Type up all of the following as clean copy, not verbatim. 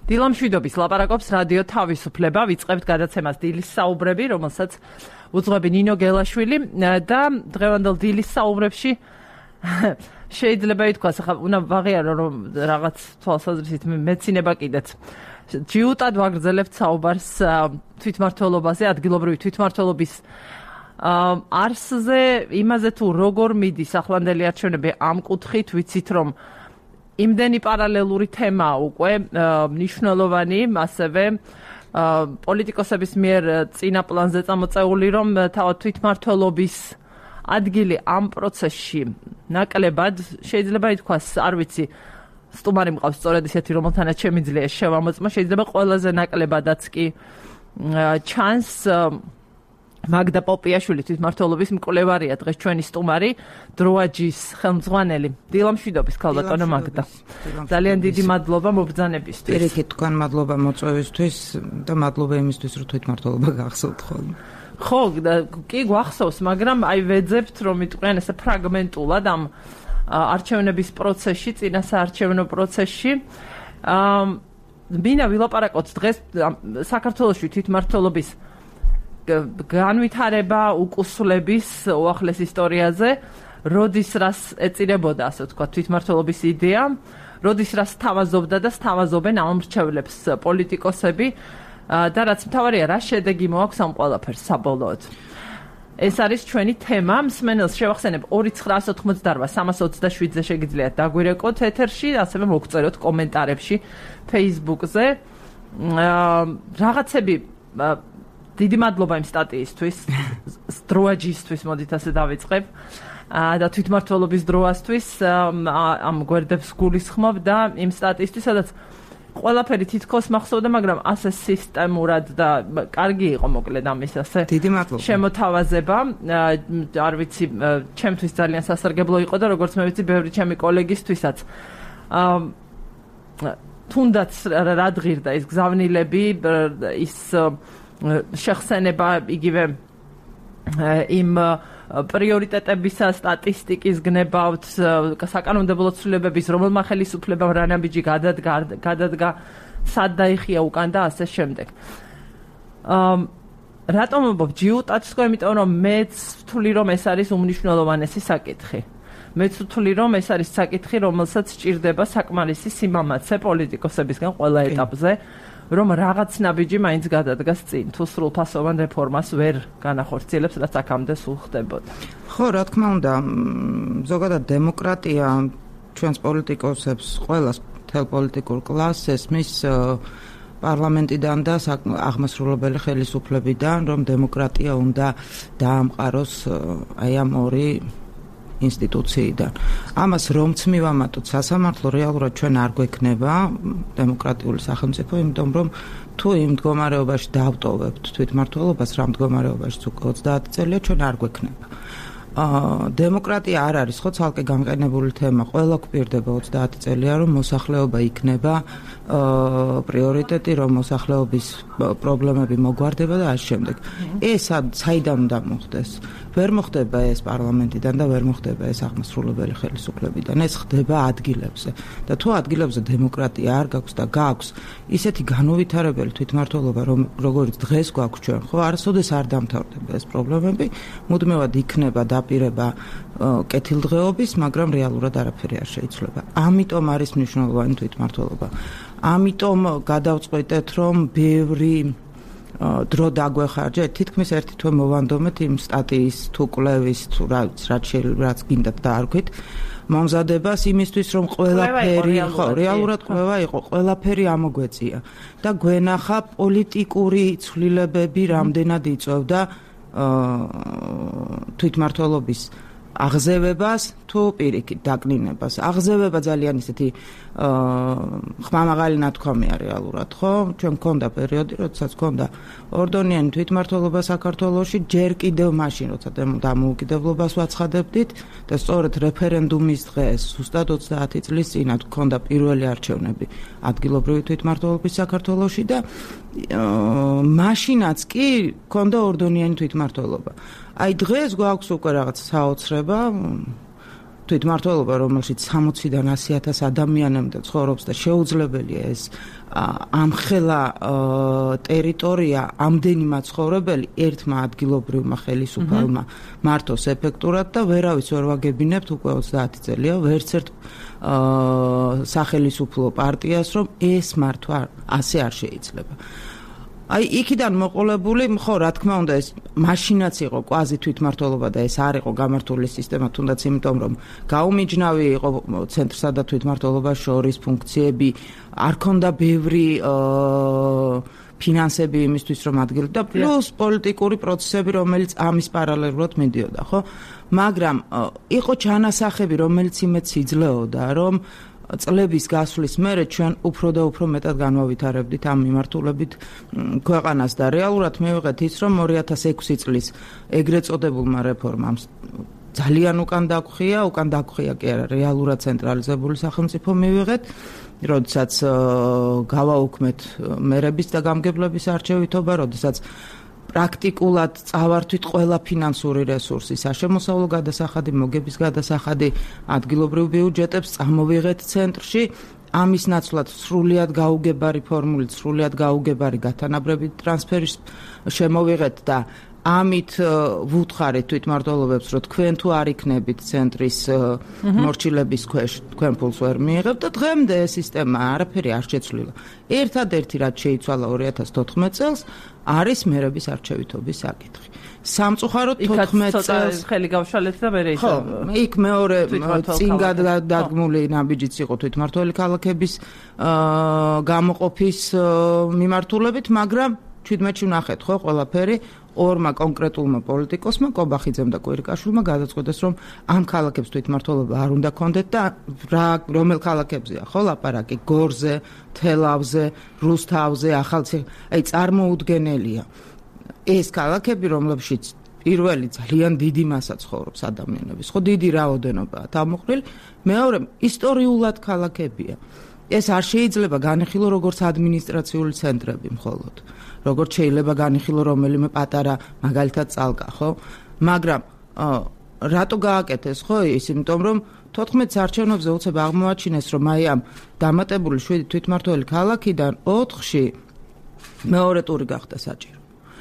დილამშვიდობის ლაპარაკობს რადიო თავისუფლება, ვიწყებთ გადაცემას დილის საუბრები, რომელსაც უძღვები ნინო გელაშვილი და დღევანდელ დილის საუბრებში შეიძლება ითქვას, ახლა უნდა ვაღიარო რომ რაღაც თვალსაზრისით მეცინება კიდეც. ჯიუტად ვაგრძელებთ საუბარს თვითმმართველობაზე, ადგილობრივი თვითმმართველობის არსზე, იმაზე თუ როგორ მიდის ახლანდელი არჩევნები ამ კუთხით, ვიცით რომ იმდენი პარალელური თემაა უკვე მნიშვნელოვანი, ასევე პოლიტიკოსების მიერ წინა პლანზე წამოწეული, რომ თავად თვითმმართველობის ადგილი ამ პროცესში ნაკლებად შეიძლება ითქვას, არ ვიცი, სტუმარი მყავს სწორედ ისეთი, რომელთანაც შემიძლია შევამოწმო, შეიძლება ყველაზე ნაკლებადაც კი ჩანს მაგდა პოპიაშვილი თვითმმართველობის მკვლევარია დღეს ჩვენი სტუმარი, დროაჯის ხელმძღვანელი. დილამშვიდობის ქალბატონო მაგდა. ძალიან დიდი მადლობა მობრძანებისთვის. პირიქით თქვენ მადლობა მოწვევისთვის და მადლობა იმისთვის, რომ თვითმმართველობა გახსოვთ ხოლმე. ხო, კი გვახსოვს, მაგრამ აი ვეძებთ, რომ იტყვიან ესე ფრაგმენტულად ამ არჩევნების პროცესში, წინასაარჩევნო პროცესში. მინდა ვილაპარაკოთ დღეს საქართველოში თვითმმართველობის განვითარება, უკუსლების უახლეს ისტორიაზე, როდის რას ეწირებოდა, ასე ვთქვათ, თვითმმართველობის იდეა, როდის რას სთავაზობდა და სთავაზობენ ამომრჩევლებს პოლიტიკოსები და რაც მთავარია, რა შედეგი მოაქვს ამ ყველაფერს საბოლოოდ. ეს არის ჩვენი თემა. მსმენელს შევახსენებ 2988327-ზე შეგიძლიათ დაგვირეკოთ ეთერში, ასევე მოგწეროთ კომენტარებში Facebook-ზე. რაღაცები დიდი მადლობა იმ სტატიისთვის, დროაჯისთვის, მოდით ასე დავიწყებ, და თვითმმართველობის დროასთვის, ამ გვერდებს გულისხმობ და იმ სტატიისთვის, სადაც ყველაფერი თითქოს მახსოვდა, მაგრამ ასე სისტემურად და კარგი იყო მოკლედ ამის ასე შემოთავაზება. არ ვიცი, ჩემთვის ძალიან სასარგებლო იყო და როგორც მე ვიცი, ბევრი ჩემი კოლეგისთვისაც. თუნდაც რადგირდა ის გზავნილები, ის შეხსენება იგივე იმ პრიორიტეტებისა სტატისტიკის გნებავთ, საკანონმდებლო ცვლილებების რომელმა ხელისუფლებამ რა ნაბიჯი გადადგა, სად დაიხია უკან და ასე შემდეგ. რატომ ვამბობ ჯიუტად თქვენ, იმიტომ რომ მეც ვთვლი რომ ეს არის უმნიშვნელოვანესი საკითხი. მეც ვთვლი რომ ეს არის საკითხი, რომელსაც სჭირდება საკმარისი სიმამაცე პოლიტიკოსებისგან ყველა ეტაპზე, რომ რაღაც ნაბიჯი მაინც გადადგას წინ, თუ სრულფასოვან რეფორმას ვერ განახორციელებს, რაც აქამდე სულ ხდებოდა. ხო, რა თქმა უნდა, ზოგადად დემოკრატია ჩვენს პოლიტიკოსებს, ყველას, მთელ პოლიტიკურ კლასს ესმის პარლამენტიდან და აღმასრულებელი ხელისუფლებიდან, რომ დემოკრატია უნდა დაამყაროს აი ამ ორი ინსტიტუციიდან. ამას რომც მივამატოთ სასამართლო, რეალურად ჩვენ არ გვექნება დემოკრატიული სახელმწიფო, იმიტომ რომ თუ იმ მდგომარეობაში დავტოვებთ თვითმმართველობას, რა მდგომარეობაშიც უკვე 30 წელია ჩვენ არ გვექნება. დემოკრატია არ არის ხო ცალკე გამყენებული თემა, ყველა გვპირდება 30 წელია, რომ მოსახლეობა იქნება პრიორიტეტი, რომ მოსახლეობის პრობლემები მოგვარდება და ამ შემდეგ. ეს საიდან უნდა მოხდეს? ვერ მოხდება ეს პარლამენტიდან და ვერ მოხდება ეს აღმასრულებელი ხელისუფლებიდან. ეს ხდება ადგილებზე. და თუ ადგილებზე დემოკრატია არ გაქვს და გაქვს ისეთი განუვითარებელი თვითმმართველობა, როგორც დღეს გვაქვს ჩვენ, ხო, არასოდეს არ დამთავრდება ეს პრობლემები, მუდმივად იქნება დაპირება კეთილდღეობის, მაგრამ რეალურად არაფერი არ შეიცვლება. ამიტომ არის მნიშვნელოვანი თვითმმართველობა. ამიტომ გადავწყვეტეთ, რომ ბევრი დრო დაგვეხარჯეთ, თითქმის ერთი თვე მოვანდომეთ იმ სტატიის თუ კვლევის თუ რაც გინდათ დაარქვით მომზადებას იმისთვის, რომ ყველაფერი, ხო, რეალურად კვლევა იყო, ყველაფერი ამოგვეწია და გვენახა პოლიტიკური ცვლილებები რამდენად იწვევდა თვითმმართველობის აღზევებას თუ პირიქით დაკნინებას. აღზევება ძალიან ისეთი ხმამაღალი ნათქვამია რეალურად, ხო? ჩვენ მქონდა პერიოდი, როდესაც მქონდა ორდონიანი თვითმმართველობა საქართველოში, ჯერ კიდევ მაშინ, როცა დამოუკიდებლობას ვაცხადებდით და სწორედ რეფერენდუმის დღეს, ზუსტად 30 წლის წინათ მქონდა პირველი არჩევნები ადგილობრივი თვითმმართველობის საქართველოში და მაშინაც კი მქონდა ორდონიანი თვითმმართველობა. აი დღეს გვაქვს უკვე რაღაც საოცრება თვითმმართველობა, რომელშიც 60-დან 100,000 ადამიანამდე ცხოვრობს და შეუძლებელია ეს ამხელა ტერიტორია ამდენი მაცხოვრებელი ერთმა ადგილობრივმა ხელისუფალმა მართოს ეფექტურად და ვერავის ვერ ვაგებინებთ უკვე 30 წელია ვერც ერთ სახელისუფლო პარტიას რომ ეს მართვა ასე არ შეიძლება. აი იქიდან მოყოლებული, ხო, რა თქმა უნდა, ეს მაშინაც იყო კვაზი თვითმმართველობა და ეს არ იყო გამართული სისტემა, თუნდაც იმიტომ, რომ გაუმიჯნავი იყო ცენტრსა და თვითმმართველობას შორის ფუნქციები, არ ქონდა ბევრი ფინანსები იმისთვის, რომ ადგილობრივი და პლუს პოლიტიკური პროცესები, რომელიც ამის პარალელურად მიდიოდა, ხო? მაგრამ იყო ჩანასახები, რომელიც იმედს იძლეოდა, რომ წლების გასვლის მერე ჩვენ უფრო და უფრო მეტად განვავითარებდით ამ მიმართულებით ქვეყანას და რეალურად მივიღეთ ის, რომ 2006 წლის ეგრეთ წოდებულმა რეფორმამ ძალიან უკან დაგხვია კი არა, რეალურად ცენტრალიზებული სახელმწიფო მივიღეთ, როდესაც გავაუქმეთ მერების და გამგებლების არჩევითობა, როდესაც პრაქტიკულად წავართვით ყველა ფინანსური რესურსი, საშემოსავლო გადასახადი, მოგების გადასახადი, ადგილობრივ ბიუჯეტებს წამოვიღეთ ცენტრში, ამის ნაცვლად სრულიად გაუგებარი ფორმულით, სრულიად გაუგებარი გათანაბრებით ტრანსფერის შემოვიღეთ და ამით ვუთხარით თვითმმართველობებს, რომ თქვენ თუ არ იქნებით ცენტრის მორჩილების ქვეშ, თქვენ ფულს ვერ მიიღებთ და დღემდე ეს სისტემა არაფერი არ შეცვლილა. ერთადერთი რაც შეიცვალა 2014 წელს არის მერების არჩევითობის საკითხი. სამწუხაროდ 14 წელს ხელი გავშალეთ და მე ხო, იქ მეორე წინ გადადგმული ნაბიჯიც იყო თვითმმართველი ქალაქების გამოყოფის მიმართულებით, მაგრამ 17-ში ვნახეთ ხო ყველაფერი ორმა კონკრეტულმა პოლიტიკოსმა კობახიძემ და კვირიკაშვილმა გადაწყვეტეს რომ ამ ქალაქებს თვითმმართველობა არ უნდა კონდეთ და რომელ ქალაქებზეა ხო ლაპარაკი გორზე, თელავზე, რუსთავზე, ახალციხე, აი წარმოუდგენელია ეს ქალაქები რომლებშიც პირველი ძალიან დიდი მასა ცხოვრობს ადამიანების ხო დიდი რაოდენობაა თავმოყრილი მეორე ისტორიულად ქალაქებია ეს არ შეიძლება განიხილო როგორც ადმინისტრაციული ცენტრები მხოლოდ როგორც შეიძლება განიხილო რომელიმე პატარა მაგალითად წალკა, ხო? მაგრამ რატო გააკეთეს, ხო, ის იმიტომ რომ 14 არჩევნებზე უცებ აღმოაჩინეს, რომ აი ამ დამატებული 7 თვითმმართველი ქალაქიდან 4-ში მეორე ტური გახდა საჭირო.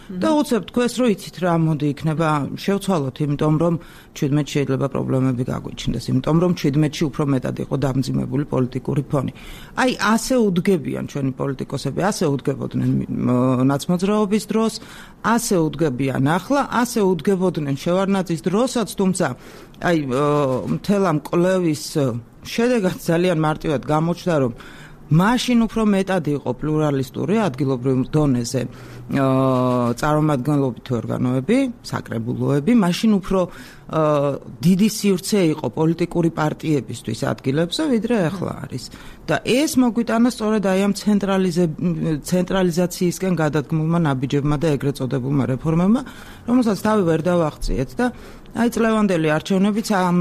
და უცებ თქვენს რო იცით რა მოდი იქნება შევცვალოთ, იმიტომ რომ 17 შეიძლება პრობლემები გაგვიჩნდეს, იმიტომ რომ 17-ში უფრო მეტად იყო დამძიმებული პოლიტიკური ფონი. აი ასე უდგებიან ჩვენი პოლიტიკოსები, ასე უდგებოდნენ ნაცმოძრაობის დროს, ასე უდგებიან ახლა, ასე უდგებოდნენ შევარდნაძის დროსაც, თუმცა აი მთელ ამ კვლევის შედეგად ძალიან მარტივად გამოჩნდა, რომ მაშინ უფრო მეტად იყო პლურალისტური ადგილობრივ დონეზე წარმომადგენლობითი ორგანოები, საკრებულოები, მაშინ უფრო დიდი სივრცე იყო პოლიტიკური პარტიებისთვის ადგილებზე, ვიდრე ახლა არის. და ეს მოგვიტანა სწორედ აი ამ ცენტრალიზაციისკენ გადადგმულმა ნაბიჯებმა და ეგრეთ წოდებულმა რეფორმებმა, რომელსაც თავი ვერ დავაღწიეთ და აი წლევანდელი არჩევნებიც ამ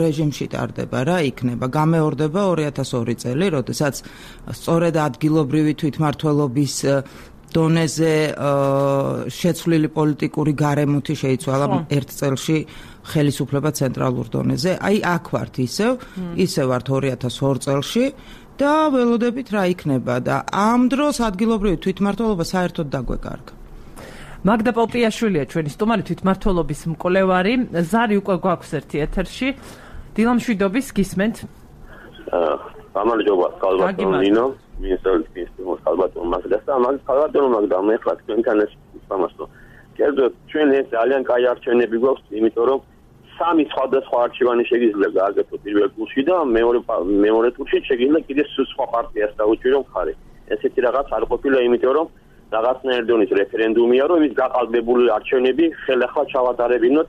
რეჟიმში ტარდება რა იქნება გამეორდება 2002 წელი, როდესაც სწორედ ადგილობრივი თვითმმართველობის დონეზე შეცვლილი პოლიტიკური გარემოთი შეიცვალა ერთ წელში ხელისუფლება ცენტრალურ დონეზე. აი აქ ვართ ისევ ვართ 2002 წელში და ველოდებით რა იქნება და ამ დროს ადგილობრივი თვითმმართველობა საერთოდ დაგვეკარგა. მაგდა პოპიაშვილია ჩვენი სტუმარი თვითმმართველობის მკვლევარი. ზარი უკვე გვაქვს ერთი ეთერში. დილამშვიდობის გისმენთ. გამარჯობა, კალბატონო ნინო, მინისტრობის კალბატონო მაგდას და კალბატონო მაგდა მე ხარ თქვენთან ეს სამასო. კერძოდ ჩვენ ეს ძალიან კაი არჩევნები გვაქვს, იმიტომ რომ სამი სხვადასხვა არჩევანი შეგიძლია გააკეთო პირველ ტურში და მეორე ტურში შეგიძლია კიდე სხვა პარტიას დაუჭირო მხარე. ესეთი რაღაც არ ყოფილა, იმიტომ რომ რაღაცნაირ დონის რეფერენდუმია, რომ ის გაყალბებული არჩევნები ხელახლა ჩავატარებინოთ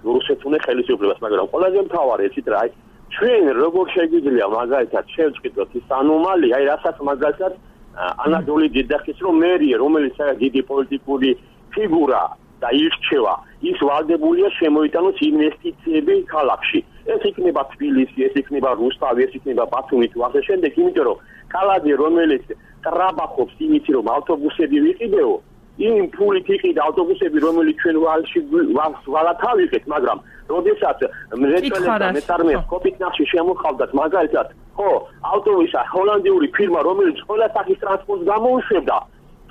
რუსეთუნე ხელისუფლებას, მაგრამ ყველაზე მთავარი იცით რა, ჩვენ როგორ შეგვიძლია მაგალითად შევწყვიტოთ ის ანომალია, აი რასაც მაგალითად ანადოლი დედახის რომ მერია, რომელიც დიდი პოლიტიკური ფიგურა და ირჩევა, ის ვალდებულია შემოიტანოს ინვესტიციები ქალაქში. ეს იქნება თბილისი, ეს იქნება რუსთავი, ეს იქნება ბათუმი თუ ასე შემდეგ, იმიტომ რომ ქალაქი რომელიც ტრაბახობს იმით რომ ავტობუსები ვიყიდეო, იმ ფულით იყიდა ავტობუსები, რომელიც ჩვენ ვალში ვალათავიღეთ, მაგრამ როდესაც მეწველებდა მეწარმეებს კოპით ნახში შემოხავდათ მაგალითად, ხო, ავტობუსა ჰოლანდიური ფირმა, რომელიც ყველა სახის ტრანსპორტს გამოუშვებდა,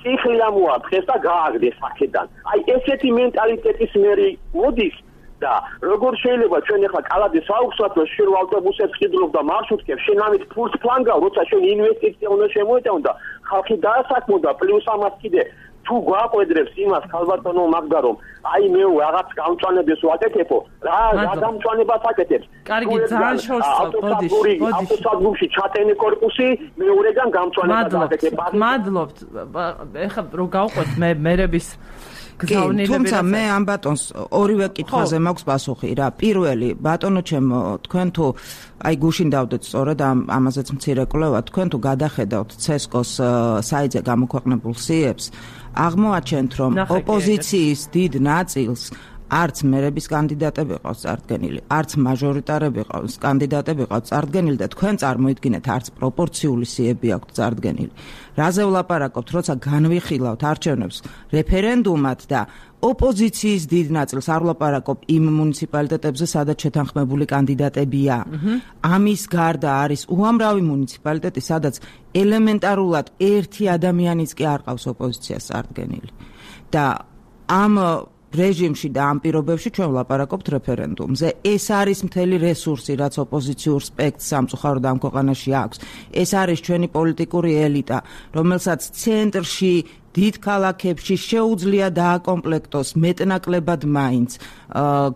წიხლი ამოარტყეს და გააგდეს აქედან. აი ესეთი მენტალიტეტის მერი მოდის და როგორ შეიძლება ჩვენ ახლა კალადის საუბრობთ, რომ შენ ავტობუსებს ყიდულობ და მარშრუტებს, შენ ამით ფულს ფლანგავ, როცა შენ ინვესტიცია უნდა შემოეტანო და ხალხი დაასაქმო და პლუს ამას კიდე თუ გვაყვედრებს იმას ქალბატონო მაგდა რომ აი მე რაღაც გამწვანებას ვაკეთებო რა გამწვანებას აკეთებს კარგი ძალიან შორს ავტოსადგურში ჩატენე კორპუსი მეორეგან გამწვანებას აკეთებ მადლობთ ეხლა რო გავყვეთ მე მერების გზავნილები თუმცა მე ამ ბატონს ორივე კითხვაზე მაქვს პასუხი რა პირველი ბატონო ჩემო თქვენ თუ აი გუშინ დავდეთ სწორად ამაზეც მცირე კვლევა თქვენ თუ გადახედავთ CESCO-ს საიტზე გამოქვეყნებულ სიებს აღმოაჩენთ რომ ოპოზიციის დიდ ნაწილს არც მერების კანდიდატები ყავს წარდგენილი, არც მაჟორიტარები ყავს კანდიდატები ყავს წარდგენილი და თქვენ წარმოიდგინეთ არც პროპორციული სიები აქვს წარდგენილი. რაზე ვლაპარაკობთ, როცა განვიხილავთ არჩევნებს რეფერენდუმად და ოპოზიციის დიდ ნაწილს არ ვლაპარაკობ იმ მუნიციპალიტეტებზე, სადაც შეთანხმებული კანდიდატებია. ამის გარდა არის უამრავი მუნიციპალიტეტი, სადაც ელემენტარულად ერთი ადამიანიც კი არ ყავს ოპოზიციას წარდგენილი. და ამ რეჟიმში და ამ პირობებში ჩვენ ვლაპარაკობთ რეფერენდუმზე. ეს არის მთელი რესურსი, რაც ოპოზიციურ სპექტრს სამწუხაროდ ამ ქვეყანაში აქვს. ეს არის ჩვენი პოლიტიკური ელიტა, რომელსაც ცენტრში დიდ ქალაქებში შეუძლია დააკომპლექტოს მეტნაკლებად მაინც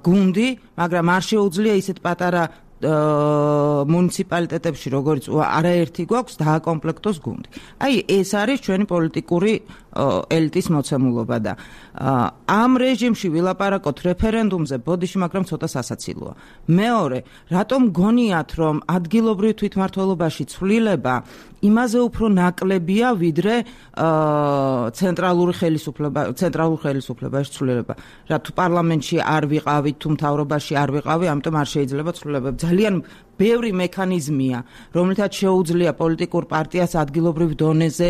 გუნდი, მაგრამ არ შეუძლია ისეთ პატარა მუნიციპალიტეტებში, როგორც არაერთი გვაქვს, დააკომპლექტოს გუნდი. აი, ეს არის ჩვენი პოლიტიკური ელიტის მოცემულობა და ამ რეჟიმში ვილაპარაკოთ რეფერენდუმზე, ბოდიში, მაგრამ ცოტა სასაცილოა. მეორე, რატომ გონიათ, რომ ადგილობრივ თვითმმართველობაში ცვლილება იმაზე უფრო ნაკლებია, ვიდრე ცენტრალურ ხელისუფლებაში ცვლილება. რა თუ პარლამენტში არ ვიყავით, თუ მთავრობაში არ ვიყავი, ამიტომ არ შეიძლება ცვლილება. ძალიან ბევრი მექანიზმია, რომელთაც შეუძლია პოლიტიკურ პარტიას ადგილობრივ დონეზე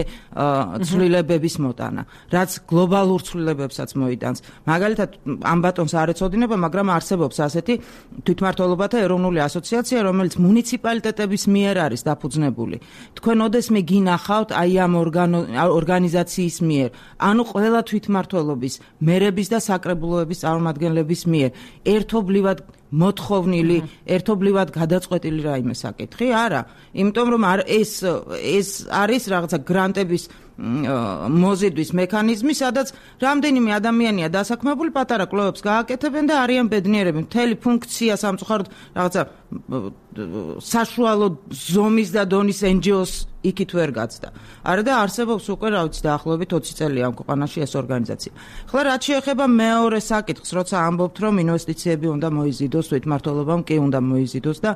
ცვლილებების მოტანა, რაც გლობალურ ცვლილებებსაც მოიტანს. მაგალითად, ამ ბატონს არ ეწოდინება, მაგრამ არსებობს ასეთი თვითმმართველობათა ეროვნული ასოციაცია, რომელიც მუნიციპალიტეტების მიერ არის დაფუძნებული. თქვენ ოდესმე გინახავთ აი ამ ორგანიზაციის მიერ, ანუ ყველა თვითმმართველობის, მერების და საკრებულოების წარმომადგენლების მიერ ერთობლივად მოთხოვნილი, ერთობლივად გადაწყვეტილი რაიმე საკითხი? არა, იმიტომ რომ ეს არის რაღაცა გრანტების მოზიდვის მექანიზმი, სადაც რამდენიმე ადამიანია დასაქმებული, პატარა კვლევებს გააკეთებენ და არიან ბედნიერები. მთელი ფუნქცია სამწუხაროდ რაღაცა საშუალო ზომის და დონის NGO-ს იქით ვერ გაცდა. არა და არსებობს უკვე რა ვიცი დაახლოებით 20 წელია ამ ქვეყანაში ეს ორგანიზაცია. ხლა რაც შეეხება მეორე საკითხს, როცა ამბობთ რომ ინვესტიციები უნდა მოიზიდოს, თვითმმართველობამ კი უნდა მოიზიდოს და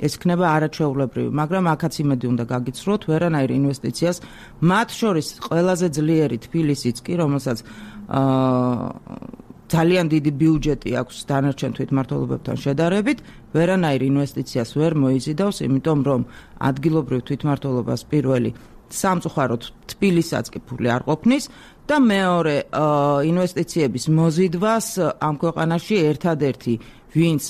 ეს იქნება არაჩვეულებრივი, მაგრამ აქაც იმედი უნდა გაგიცრუოთ, ვერანაირ ინვესტიციას, მათ შორის ყველაზე ძლიერი თბილისიც კი, რომელსაც ძალიან დიდი ბიუჯეტი აქვს დანარჩენ თვითმმართველობებთან შედარებით, ვერანაირ ინვესტიციას ვერ მოიზიდავს, იმიტომ რომ ადგილობრივ თვითმმართველობას პირველი სამწუხაროდ თბილისსაც კი ფული არ ყოფნის და მეორე ინვესტიციების მოზიდვას ამ ქვეყანაში ერთადერთი ვინც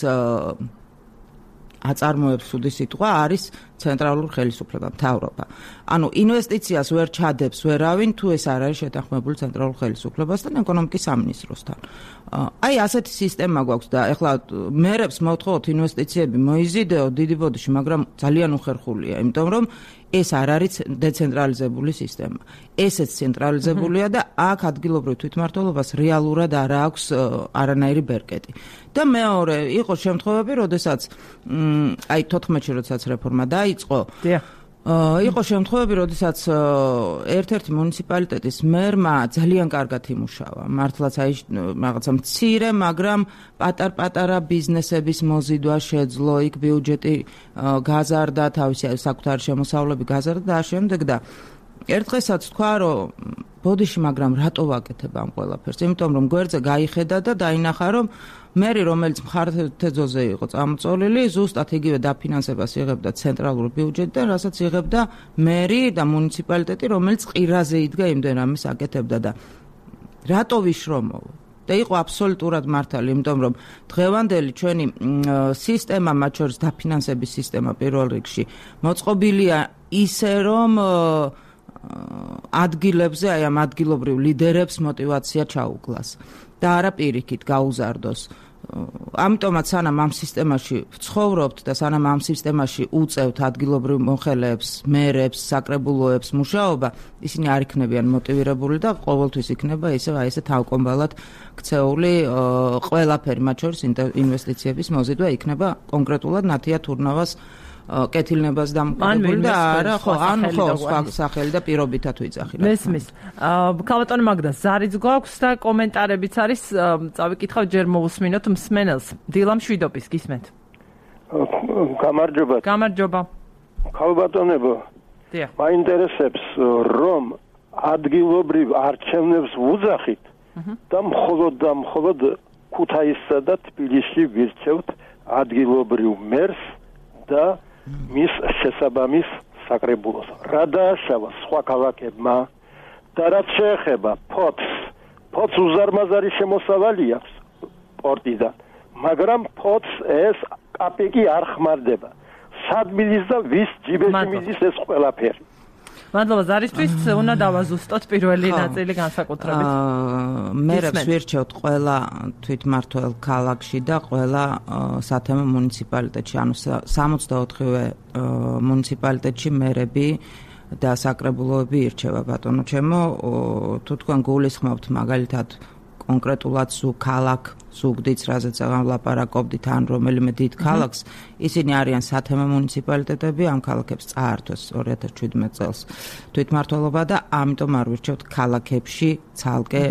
აწარმოებს უდი სიტყვა არის ცენტრალურ ხელისუფლება, მთავრობა. ანუ ინვესტიციას ვერ ჩადებს ვერავინ, თუ ეს არ არის შეთანხმებული ცენტრალურ ხელისუფლებასთან, ეკონომიკის სამინისტროსთან. აი ასეთი სისტემა გვაქვს და ეხლა მერებს მოვთხოვოთ ინვესტიციები მოიზიდეო დიდი ბოდიში, მაგრამ ძალიან უხერხულია, იმიტომ რომ ეს არ არის დეცენტრალიზებული სისტემა. ესეც ცენტრალიზებულია და აქ ადგილობრივ თვითმმართველობას რეალურად არ აქვს არანაირი ბერკეტი. და მეორე, იყო შემთხვევები, როდესაც აი 14-ში როდესაც რეფორმა დაიწყო, იყო შემთხვევები, როდესაც ერთ-ერთი მუნიციპალიტეტის მერმა ძალიან კარგად იმუშავა. მართლაც აი რაღაცა მცირე, მაგრამ პატარ-პატარა ბიზნესების მოზიდვა შეძლო, იქ ბიუჯეტი გაზარდა, თავისი საკუთარი შემოსავლები გაზარდა და ამავდროულად და ერთ დღესაც თქვა, რომ ბოდიში, მაგრამ რატო ვაკეთებ ამ ყველაფერს? იმიტომ რომ გვერდზე გაიხედა და დაინახა, რომ მერი, რომელიც მხარეთეძოზე იყო წამოწოლილი, ზუსტად იგივე დაფინანსებას იღებდა ცენტრალურ ბიუჯეტიდან, რასაც იღებდა მერი და მუნიციპალიტეტი, რომელიც ყირაზე იდგა იმდენ რამეს აკეთებდა და რატო ვიშრომო? და იყო აბსოლუტურად მართალი, იმიტომ რომ დღევანდელი ჩვენი სისტემა, მათ შორის დაფინანსების სისტემა პირველ რიგში, მოწყობილია ისე, რომ ადგილებზე, აი ამ ადგილობრივ ლიდერებს მოტივაცია ჩაუკლას და არა პირიქით გაუზარდოს. ამიტომაც სანამ ამ სისტემაში ვცხოვრობთ და სანამ ამ სისტემაში უწევთ ადგილობრივ მოხელეებს, მერებს, საკრებულოებს მუშაობა, ისინი არ იქნებიან მოტივირებული და ყოველთვის იქნება ისე თავკომბალად ქცეული ყველაფერი, მათ შორის ინვესტიციების მოზიდვა იქნება კონკრეტულად ნათია თურნავას კეთილნებას დამოკიდებული და არა სხვა სახელი და პირობითად ვიძახილებ. მესმის. ქალბატონო მაგდა ზარიც გვაქვს და კომენტარებიც არის, წავიკითხავ ჯერ მოусმინოთ მსმენელს. დილა მშვიდობის გისმენთ. გამარჯობა. გამარჯობა. ქალბატონებო. დიახ. მაინტერესებს რომ ადგილობრივ არჩევნებს ვუძახით და მხოლოდ ქუთაისსა და თბილისში ვირჩევთ ადგილობრივ მერს და მის შესაბამის საკრებულოს. რა დააშავა სხვა ქალაქებმა და რაც შეეხება ფოთს უზარმაზარი შემოსავალი აქვს პორტიდან, მაგრამ ფოთს ეს კაპიკი არ ხმარდება. სად მიდის და ვის ჯიბეში მიდის ეს ყველაფერი? მადლობა ზარისთვის, უნდა დავაზუსტოთ პირველი ნაწილი განსაკუთრებით. მერებს ვირჩევთ ყველა თვითმმართველ ქალაქში და ყველა სათემო მუნიციპალიტეტში, ანუ 64-ვე მუნიციპალიტეტში მერები და საკრებულოები ირჩევა ბატონო ჩემო. თუ თქვენ გულისხმობთ მაგალითად კონკრეტულად ზუგდიდს, რაზეც ლაპარაკობდით, ან რომელიმე დიდ ქალაქს, ისინი არიან სათემო მუნიციპალიტეტები, ამ ქალაქებს წაართვეს 2017 წელს თვითმმართველობა და ამიტომ არ ვირჩევთ ქალაქებში ცალკე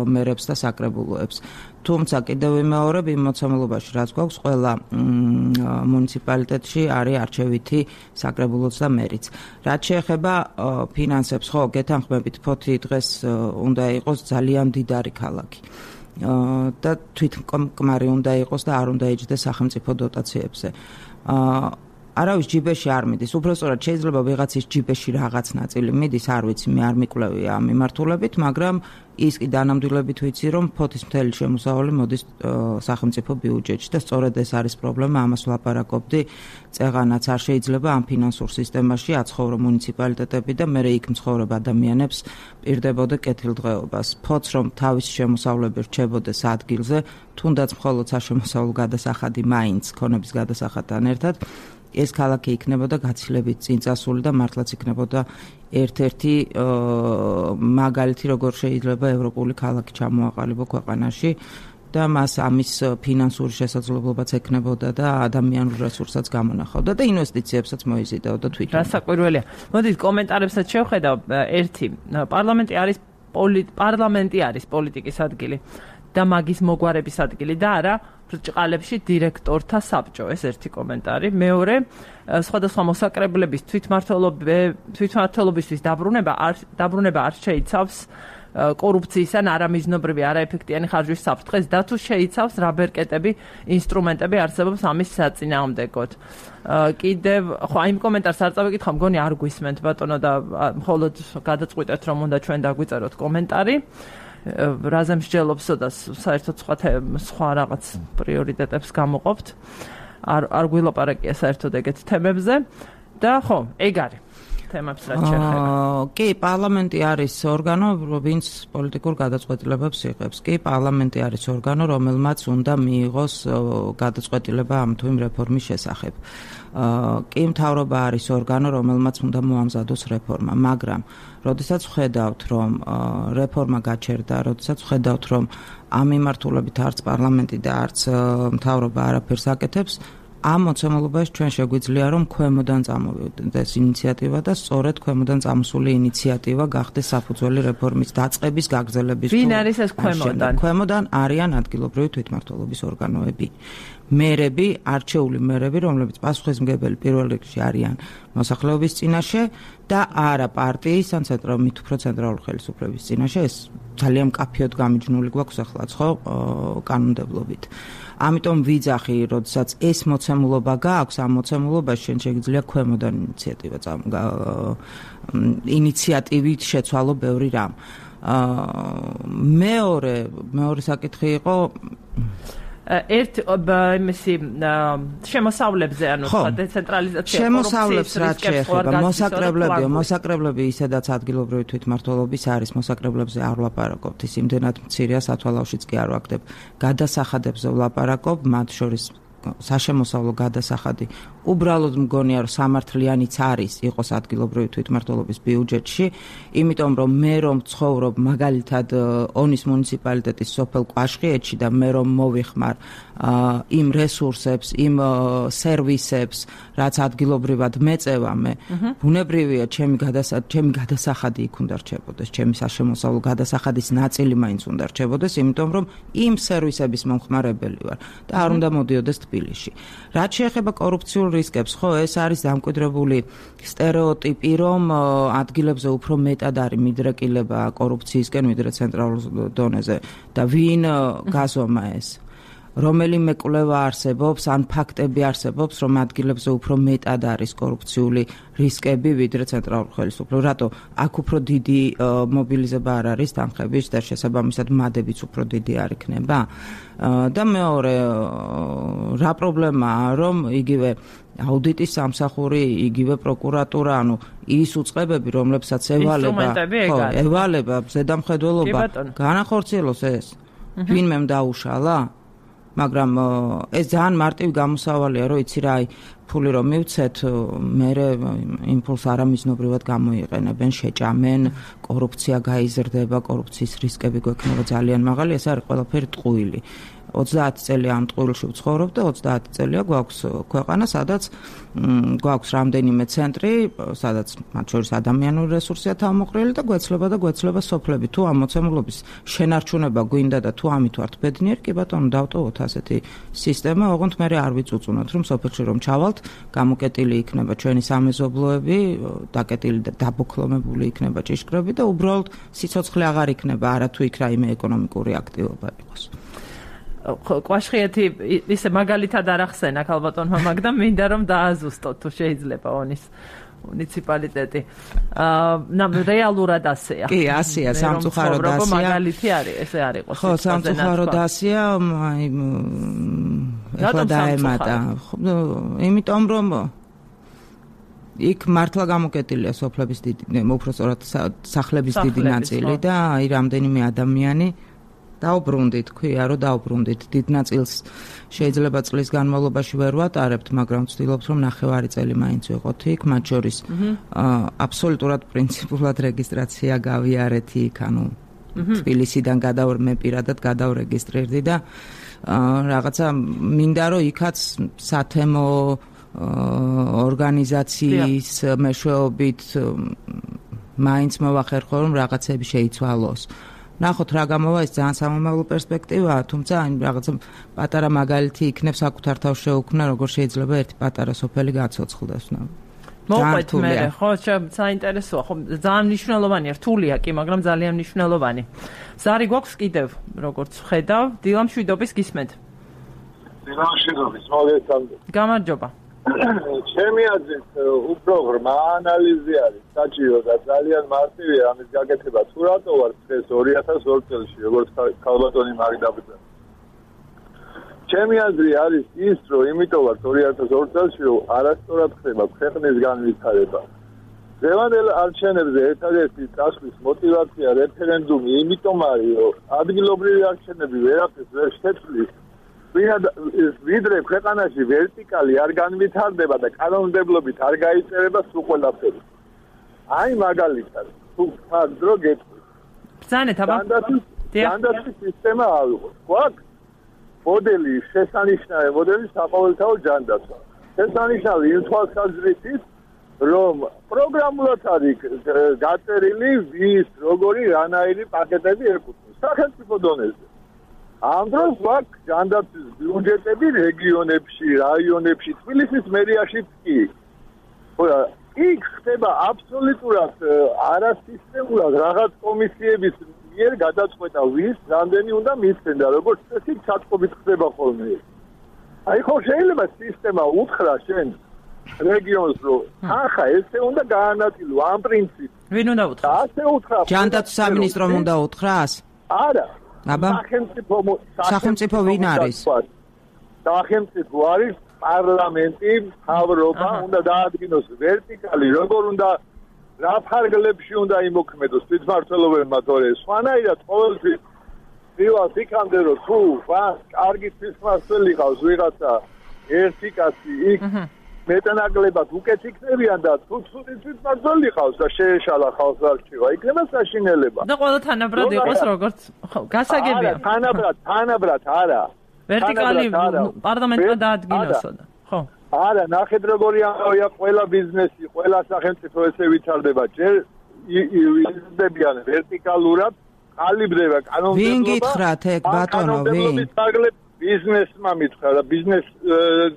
მერებს და საკრებულოებს. თუმცა კიდევ ვიმეორებ იმ მოცემულობაში, რაც გვაქვს, ყველა მუნიციპალიტეტში არის არჩევითი საკრებულოც და მერიც. რაც შეეხება ფინანსებს, ხო, გეთანხმებით, ფოთი დღეს უნდა იყოს ძალიან მდიდარი ქალაქი. და თვითკმარი უნდა იყოს და არ უნდა იჯდეს სახელმწიფო დოტაციებზე. არავის ჯიბეში არ მიდის. უბრალოდ შეიძლება ვიღაცის ჯიბეში რაღაც ნაწილი მიდის, არ ვიცი, მე არ მიკვლევი ამ მიმართულებით, მაგრამ ის კი დანამდვილებით ვიცი, რომ ფოთის მთელი შემოსავალი მოდის სახელმწიფო ბიუჯეტში და სწორედ ეს არის პრობლემა, ამას ვლაპარაკობდი. წეღანაც არ შეიძლება ამ ფინანსურ სისტემაში აცხოვრო მუნიციპალიტეტები და მე იქ მცხოვრებ ადამიანებს პირდებოდა კეთილდღეობას. ფოთს რომ თავის შემოსავლები რჩებოდეს ადგილზე, თუნდაც მხოლოდ საშემოსავლო გადასახადი მაინც ქონების გადასახადთან ერთად ეს ქალაქი იქნებოდა გაცილებით წინწასული და მართლაც იქნებოდა ერთ-ერთი მაგალითი, როგორ შეიძლება ევროპული ქალაქი ჩამოაყალიბო ქვეყანაში და მას ამის ფინანსური შესაძლებლობაც ექნებოდა და ადამიანურ რესურსაც გამონახავდა და ინვესტიციებსაც მოიზიდაოდა თვითონ. რასაკვირველია. მოდით კომენტარებსაც შევხედავ. ერთი, პარლამენტი არის პოლიტიკის ადგილი და მაგის მოგვარების ადგილი და არა ბრჭყალებში დირექტორთა საბჭო. ეს ერთი კომენტარი. მეორე, სხვადასხვა მოსაკრებლების თვითმმართველობისთვის დაბრუნება არ შეიცავს კორუფციის ან არამიზნობრივი არაეფექტიანი ხარჯვის საფრთხეს და თუ შეიცავს რა ბერკეტები, ინსტრუმენტები არსებობს ამის საწინააღმდეგოდ. კიდევ ხო აი იმ კომენტარს არ წავიკითხავ, მგონი არ გვისმენთ ბატონო და მხოლოდ გადაწყვიტეთ რომ უნდა ჩვენ დაგვიწეროთ კომენტარი. რაზე მსჯელობსო და საერთოდ სხვა რაღაც პრიორიტეტებს გამოყოფთ. არ გვილაპარაკია საერთოდ ეგეთ თემებზე და ხო, ეგ არის თემებს რაც შეეხება. კი, პარლამენტი არის ორგანო, ვინც პოლიტიკურ გადაწყვეტილებებს იღებს. კი, პარლამენტი არის ორგანო, რომელმაც უნდა მიიღოს გადაწყვეტილება ამ თუ იმ რეფორმის შესახებ. კი, მთავრობა არის ორგანო, რომელმაც უნდა მოამზადოს რეფორმა, მაგრამ როდესაც ვხედავთ, რომ რეფორმა გაჩერდა, როდესაც ვხედავთ, რომ ამ მიმართულებით არც პარლამენტი და არც მთავრობა არაფერს აკეთებს, ამ მოცემულობაში ჩვენ შეგვიძლია რომ ქვემოდან წამოვიდეს ინიციატივა და სწორედ ქვემოდან წამოსული ინიციატივა გახდეს საფუძველი რეფორმის დაწყების, გაგრძელების. ვინ არის ეს ქვემოდან? ქვემოდან არიან ადგილობრივი თვითმმართველობის ორგანოები. მერები, არჩეული მერები, რომლებიც პასუხისმგებელი პირველ რიგში არიან მოსახლეობის წინაშე და არა პარტიის ან მით უფრო ცენტრალური ხელისუფლების წინაშე. ეს ძალიან მკაფიოდ გამიჯნული გვაქვს ახლა ხო კანონმდებლობით. ამიტომ ვიძახი, როდესაც ეს მოცემულობა გააქვს, ამ მოცემულობაში შენ შეგიძლია ქვემოდან ინიციატივით შეცვალო ბევრი რამ. მეორე საკითხი იყო იმისი შემოსავლებზე ანუ დეცენტრალიზაცია შემოსავლებს რაც შეეხება მოსაკრებლები ისედაც ადგილობრივი თვითმმართველობის არის მოსაკრებლებზე არ ვლაპარაკობთ ის იმდენად მცირეა სათვალავშიც კი არ ვაკეთებ გადასახადებზე ვლაპარაკობ მათ შორის საშემოსავლო გადასახადი უბრალოდ მგონია რომ სამართლიანიც არის იყოს ადგილობრივი თვითმმართველობის ბიუჯეტში იმიტომ რომ მე რომ ცხოვრობ მაგალითად ონის მუნიციპალიტეტის სოფელ კვაშხიეთში და მე რომ მოვიხმარ იმ რესურსებს იმ სერვისებს რაც ადგილობრივად მეწევა მე ბუნებრივია ჩემი გადასახადი იქ უნდა რჩებოდეს ჩემი საშემოსავლო გადასახადის ნაწილი მაინც უნდა რჩებოდეს იმიტომ რომ იმ სერვისების მომხმარებელი ვარ და არ უნდა მოდიოდეს თბილისში რაც შეეხება კორუფციულ რისკებს ხო ეს არის დამკვიდრებული სტერეოტიპი რომ ადგილებზე უფრო მეტად არის მიდრეკილება კორუფციისკენ ვიდრე ცენტრალურ დონეზე და ვინ გაზომა ეს რომელიმე კვლევა არსებობს ან ფაქტები არსებობს რომ ადგილებზე უფრო მეტად არის კორუფციული რისკები ვიდრე ცენტრალურ ხელისუფლებაში რატო აქ უფრო დიდი მობილიზება არ არის თანხების და შესაბამისად მადებიც უფრო დიდი არ იქნება და მეორე რა პრობლემაა რომ იგივე აუდიტის სამსახური იგივე პროკურატურა ანუ ის უწყებები რომლებსაც ევალება ზედამხედველობა განახორციელოს ეს ვინმე დაუშალა მაგრამ ეს ძალიან მარტივი გამოსავალია რომ იცი რა აი ფული რომ მივცეთ მე იმ ფულს არამიზნობრივად გამოიყენებენ შეჭამენ კორუფცია გაიზრდება კორუფციის რისკები გვექნება ძალიან მაღალი ეს არის ყველაფერი ტყუილი 30 წელი ამ ტყუილში ვცხოვრობ და 30 წელია გვაქვს ქვეყანა სადაც გვაქვს რამდენიმე ცენტრი სადაც მათ შორის ადამიანური რესურსია თავმოყრილი და გვეცლება სოფლები თუ ამ მოცემულობის შენარჩუნება გვინდა და თუ ამით ვართ ბედნიერი კი ბატონო დავტოვოთ ასეთი სისტემა ოღონდ მე არ ვიწუწუნოთ რომ სოფელში რომ ჩავალთ გამოკეტილი იქნება ჩვენი სამეზობლოები დაკეტილი და დაბოქლომებული იქნება ჭიშკრები და უბრალოდ სიცოცხლე აღარ იქნება არა თუ იქ რაიმე ეკონომიკური აქტივობა იყოს კვაშხიეთი ისე მაგალითად არ ახსენა ქალბატონმა მაგდამ მინდა რომ დააზუსტოთ თუ შეიძლება ონის მუნიციპალიტეტი რეალურად ასეა კი ასეა სამწუხაროდ ასეა მაგალითი არის ესე არ იყოს ხო სამწუხაროდ ასეა ეხლა დაემატა იმიტომ რომ იქ მართლა გამოკეტილია სოფლების დიდი უпростоრად სახლების დიდი ნაწილი და აი რამდენიმე ადამიანი დაუბრუნდით, ქვია, რომ დაუბრუნდით. დიდ ნაწილს შეიძლება წლის განმავლობაში ვერ ვატარებთ, მაგრამ ვცდილობთ, რომ ნახევარი წელი მაინც ვიყოთ იქ, მათ შორის აბსოლუტურად პრინციპულად რეგისტრაცია გავიარეთ იქ, ანუ თბილისიდან მე პირადად გადავრეგისტრირდი და რაღაცა მინდა რომ იქაც სათემო ორგანიზაციის მეშვეობით მაინც მოვახერხო, რომ რაღაცები შეიცვალოს. ნახოთ რა გამოვა ეს ძალიან სამომავლო პერსპექტივაა, თუმცა რაღაცა პატარა მაგალითი იქნებს საკუთარ თავს შეუქმნა, როგორ შეიძლება ერთი პატარა სოფელი გაცოცხლდეს. მოყვეთ მე, ხო, საინტერესოა, ხო, ძალიან მნიშვნელოვანია, რთულია კი, მაგრამ ძალიან მნიშვნელოვანი. ზარი გვაქვს კიდევ, როგორც ხედავ, დილამშვიდობის გისმენთ. დილამშვიდობის, მოგესალმებით. გამარჯობა. ჩემი აზრით უფრო ღრმა ანალიზი არის საჭირო და ძალიან მარტივია ამის გაკეთება თუ რატო ვარ დღეს 2002 წელს როგორც ქალბატონი მაგდაბძა ჩემი აზრი არის ის რომ იმიტომ ვარ 2002 წელს რომ არასწორად ხდება ქვეყნის განვითარება დღევანდელ არჩევნებზე ერთადერთი წასვლის мотиваცია რეფერენდუმი იმიტომ არის რომ ადგილობრივი არჩევნები ვერაფერს ვერ შეცვლის ვიდრე ქვეყანაში ვერტიკალი არ განვითარდება და კანონმდებლობით არ გაიწერება სულ ყველაფერი. აი მაგალითად, თუ ფაქტო გეტყვი. ბრძანეთ აბა. დანდაცვის სისტემა ავიღოთ. გვაქვს მოდელი შესანიშნავი მოდელი საყოველთაო ჯანდაცვა. შესანიშნავი იმ თვალსაზრისით, რომ პროგრამულად არის გაწერილი ვის როგორი რანაირი პაკეტები ეკუთვნის სახელმწიფო დონეზე. ამ დროს გვაქვს ჯანდაცვის ბიუჯეტები რეგიონებში, რაიონებში, თბილისის მერიაშიც კი. ხოდა იქ ხდება აბსოლუტურად არასისტემურად რაღაც კომისიების მიერ გადაწყვეტა ვის რამდენი უნდა მისცენ და როგორც წესი ჩატყობით ხდება ხოლმე. აი ხო შეიძლება სისტემა უთხრა შენ რეგიონს რომ ახლა ესე უნდა გაანაწილო ამ პრინციპს. ვინ უნდა უთხრას? ასე უთხრა. ჯანდაცვის სამინისტრომ უნდა უთხრას? არა. აბა? სახელმწიფო ვინ არის? სახელმწიფო არის პარლამენტი, მთავრობა, უნდა დაადგინოს ვერტიკალი, როგორ უნდა რა ფარგლებში უნდა იმოქმედოს თვითმმართველობებმა, თორე სხვანაირად ყოველთვის პირველს იქამდე რომ თუ კარგი თვითმმართველი ყავს ვიღაცა ერთი კაცი იქ მეტანაკლებად უკეთ იქნებიან და თუ ცუდი თვითმმართველი ყავს და შეეშალა ხალხს არ რჩება, იქნება საშინელება. და ყველა თანაბრად იყოს როგორც გასაგებია. თანაბრად არა. ვერტიკალი პარლამენტმა დაადგინოსო და ხო. არა, ნახეთ როგორი ამბავია, ყველა ბიზნესი, ყველა სახელმწიფო ესე ვითარდება, ჯერ იზრდებიან ვერტიკალურად, ყალიბდება კანონმდებლობა. ვინ გითხრათ ეგ ბატონო, ვინ? ბიზნესმა მითხრა და ბიზნეს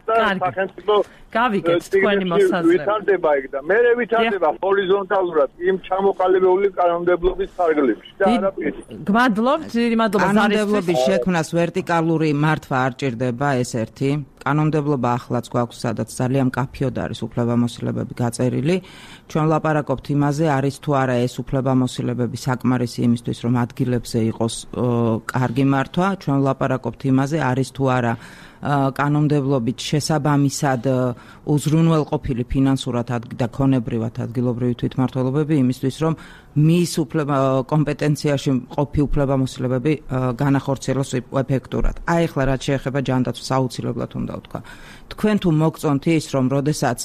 და სახელმწიფო გავიგეთ თქვენი მოსაზრება. ვითარდება ეგ და მე ვითარდება ჰორიზონტალურად იმ ჩამოყალიბებული კანონმდებლობის ფარგლებში და არა პირით. გმადლობთ, მადლობა. კანონმდებლობის შექმნას ვერტიკალური მართვა არ ჭირდება, ეს ერთი. კანონმდებლობა ახლაც გვაქვს, სადაც ძალიან მკაფიოდ არის უფლებამოსილებები გაწერილი. ჩვენ ვლაპარაკობთ იმაზე, არის თუ არა ეს უფლებამოსილებები საკმარისი იმისთვის, რომ ადგილებზე იყოს კარგი მართვა. ჩვენ ვლაპარაკობთ იმაზე, არის თუ არა კანონმდებლობით შესაბამისად უზრუნველყოფილი ფინანსურად და ქონებრივად ადგილობრივი თვითმმართველობები იმისთვის, რომ მის კომპეტენციაში მყოფი უფლებამოსილებები განახორციელოს ეფექტურად. აი ახლა რაც შეეხება ჯანდაცვას აუცილებლად უნდა ვთქვა. თქვენ თუ მოგწონთ ის, რომ როდესაც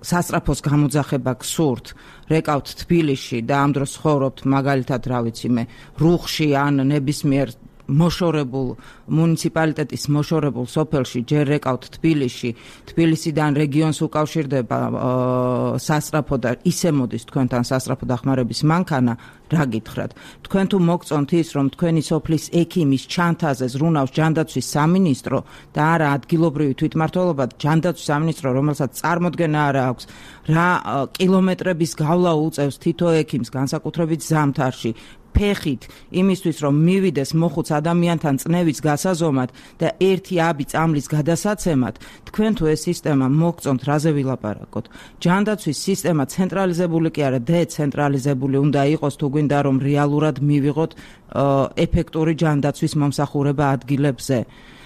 სასწრაფოს გამოძახება გსურთ, რეკავთ თბილისში და ამ დროს ცხოვრობთ მაგალითად, რა ვიცი მე, რუხში ან ნებისმიერ მოშორებულ მუნიციპალიტეტის მოშორებულ სოფელში ჯერ რეკავთ თბილისში, თბილისიდან რეგიონს უკავშირდება სასწრაფო და ისე მოდის თქვენთან სასწრაფო დახმარების მანქანა, რა გითხრათ? თქვენ თუ მოგწონთ ის, რომ თქვენი სოფლის ექიმის ჩანთაზე ზრუნავს ჯანდაცვის სამინისტრო და არა ადგილობრივი თვითმმართველობა, ჯანდაცვის სამინისტრო, რომელსაც წარმოდგენა არა აქვს, რა კილომეტრების გავლა უწევს თითო ექიმს განსაკუთრებით ზამთარში, ფეხით იმისთვის რომ მივიდეს მოხუც ადამიანთან წნევის გასაზომად და ერთი აბი წამლის გადასაცემად, თქვენ თუ ეს სისტემა მოგწონთ, რაზე ვილაპარაკოთ? ჯანდაცვის სისტემა ცენტრალიზებული კი არა, დეცენტრალიზებული უნდა იყოს, თუ გვინდა რომ რეალურად მივიღოთ ეფექტური ჯანდაცვის მომსახურება ადგილებზე.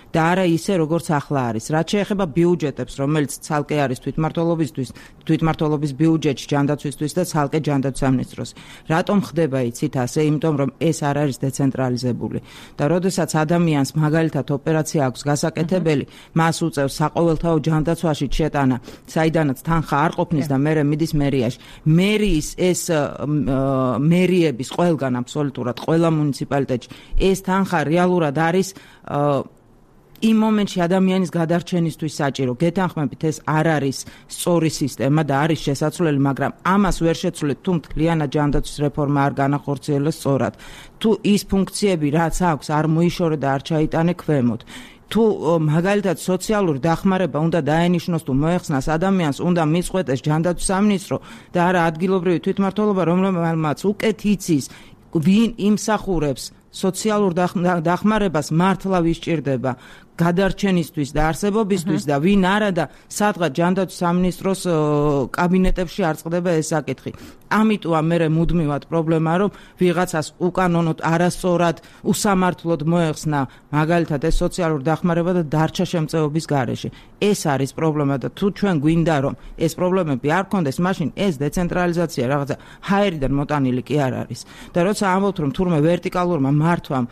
და არა ისე როგორც ახლა არის. რაც შეეხება ბიუჯეტებს, რომელიც ცალკე არის თვითმმართველობის ბიუჯეტში ჯანდაცვისთვის და ცალკე ჯანდაცვის სამინისტროს. რატომ ხდება იცით ასე? იმიტომ რომ ეს არ არის დეცენტრალიზებული. და როდესაც ადამიანს მაგალითად ოპერაცია აქვს გასაკეთებელი, მას უწევს საყოველთაო ჯანდაცვაში შეტანა, საიდანაც თანხა არ ყოფნის და მერე მიდის მერიაში. მერიის ეს მერიების ყველგან აბსოლუტურად ყველა მუნიციპალიტეტში ეს თანხა რეალურად არის იმ მომენტში ადამიანის გადარჩენისთვის საჭირო. გეთანხმებით, ეს არ არის სწორი სისტემა და არის შესაძლებელი, მაგრამ ამას ვერ შეცვლით, თუ მთლიანად ჯანდაცვის რეფორმა არ განახორციელოს სწორად. თუ ის ფუნქციები, რაც აქვს, არ მოიშორე და არ ჩაიტანე ქვემოთ. თუ მაგალითად სოციალური დახმარება უნდა დაენიშნოს თუ მოეხსნას ადამიანს, უნდა მიწყვეტეს ჯანდაცვის სამინისტრო და არა ადგილობრივი თვითმმართველობა, რომელმაც უკეთ იცის, ვინ იმსახურებს სოციალურ დახმარებას მართლა ვისჭირდება გადარჩენისთვის და არსებობისთვის და ვინ არა და სადღაც ჯანდაცვის სამინისტროს კაბინეტებში არ წყდება ეს საკითხი. ამიტომ მე მუდმივად პრობლემაა, რომ ვიღაცას უკანონოდ არასწორად უსამართლოდ მოეხსნა მაგალითად ეს სოციალური დახმარება და დარჩა შემწეობის გარეშე. ეს არის პრობლემა და თუ ჩვენ გვინდა რომ ეს პრობლემები არ გქონდეს, მაშინ ეს დეცენტრალიზაცია რაღაცა ჰაერიდან მოტანილი კი არ არის. და როცა ამბობთ რომ თურმე ვერტიკალურმა მართვამ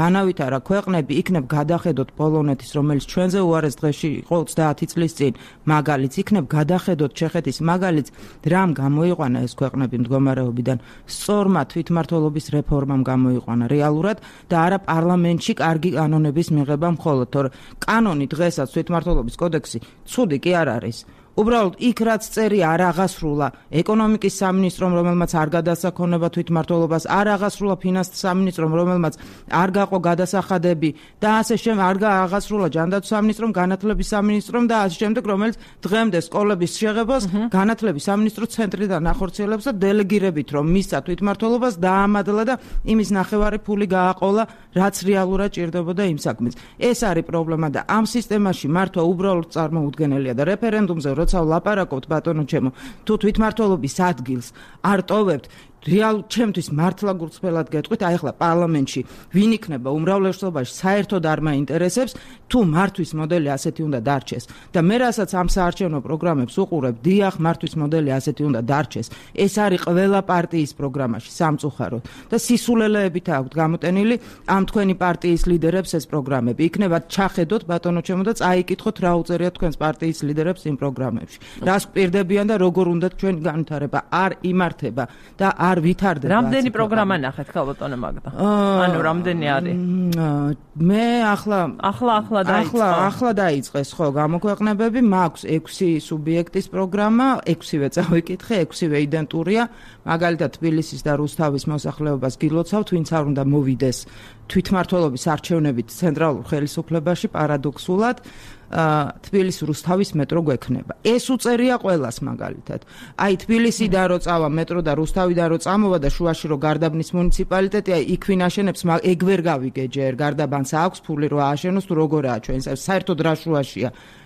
განავითარა ქვეყნები, იქნებ გადახედოთ პოლონეთის, რომელიც ჩვენზე უარეს დღეში იყო 30 წლის წინ, მაგალითს იქნებ გადახედოთ ჩეხეთის მაგალითს, რამ გამოიყვანა ეს ქვეყნები მდგომარეობიდან, სწორმა თვითმმართველობის რეფორმამ გამოიყვანა რეალურად და არა პარლამენტში კარგი კანონების მიღება მხოლოდ, თორე კანონი დღესაც თვითმმართველობის კოდექსი ცუდი კი არ არის. უბრალოდ იქ რაც წერია არ აღასრულა ეკონომიკის სამინისტრომ, რომელმაც არ გადასცა ქონება თვითმმართველობას, არ აღასრულა ფინანსთა სამინისტრომ, რომელმაც არ გაყო გადასახადები და ასე შემდეგ, არ აღასრულა ჯანდაცვის სამინისტრომ, განათლების სამინისტრომ და ასე შემდეგ, რომელიც დღემდე სკოლების შეღებას განათლების სამინისტრო ცენტრიდან ახორციელებს და დელეგირებით რომ მისცა თვითმმართველობას დაამადლა და იმის ნახევარი ფული გააყოლა, რაც რეალურად ჭირდებოდა იმ საქმეს. ეს არის პრობლემა და ამ სისტემაში მართვა უბრალოდ წარმოუდგენელია და რეფერენდუმზე როცა ვლაპარაკობთ ბატონო ჩემო, თუ თვითმმართველობის ადგილს არ ტოვებთ, რეალ ჩემთვის მართლა გულწრფელად გეტყვით, აი ახლა პარლამენტში ვინ იქნება უმრავლესობაში საერთოდ არ მაინტერესებს, თუ მართვის მოდელი ასეთი უნდა დარჩეს. და მე რასაც ამ საარჩევნო პროგრამებს უყურებ, დიახ, მართვის მოდელი ასეთი უნდა დარჩეს. ეს არის ყველა პარტიის პროგრამაში სამწუხაროდ და სისულელეებით აქვთ გამოტენილი ამ თქვენი პარტიის ლიდერებს ეს პროგრამები. იქნება ჩახედოთ ბატონო ჩემო და წაიკითხოთ რა უწერიათ თქვენს პარტიის ლიდერებს იმ პროგრამებში. რას გვპირდებიან და როგორ უნდა ჩვენი განვითარება არ იმართება და არ ვითარდება. რამდენი პროგრამა ნახეთ ხალბატონო მაგდა? ანუ რამდენი არის? მე ახლა დაიწყეს ხო გამოქვეყნებები, მაქვს 6 სუბიექტის პროგრამა, 6-ვე წავიკითხე, 6-ვე იდენტურია, მაგალითად თბილისის და რუსთავის მოსახლეობას გილოცავთ, ვინც არ უნდა მოვიდეს თვითმმართველობის არჩევნებით ცენტრალურ ხელისუფლებაში პარადოქსულად თბილისის რუსთავის მეტრო გვექნება. ეს უწერია ყველას მაგალითად. აი თბილისიდან რო წავა მეტრო და რუსთავიდან რო წამოვა და შუაში რო გარდაბნის მუნიციპალიტეტი, აი იქ ვინ აშენებს, ეგ ვერ გავიგე ჯერ, გარდაბანს აქვს ფული რო ააშენოს, თუ როგორაა ჩვენს საერთოდ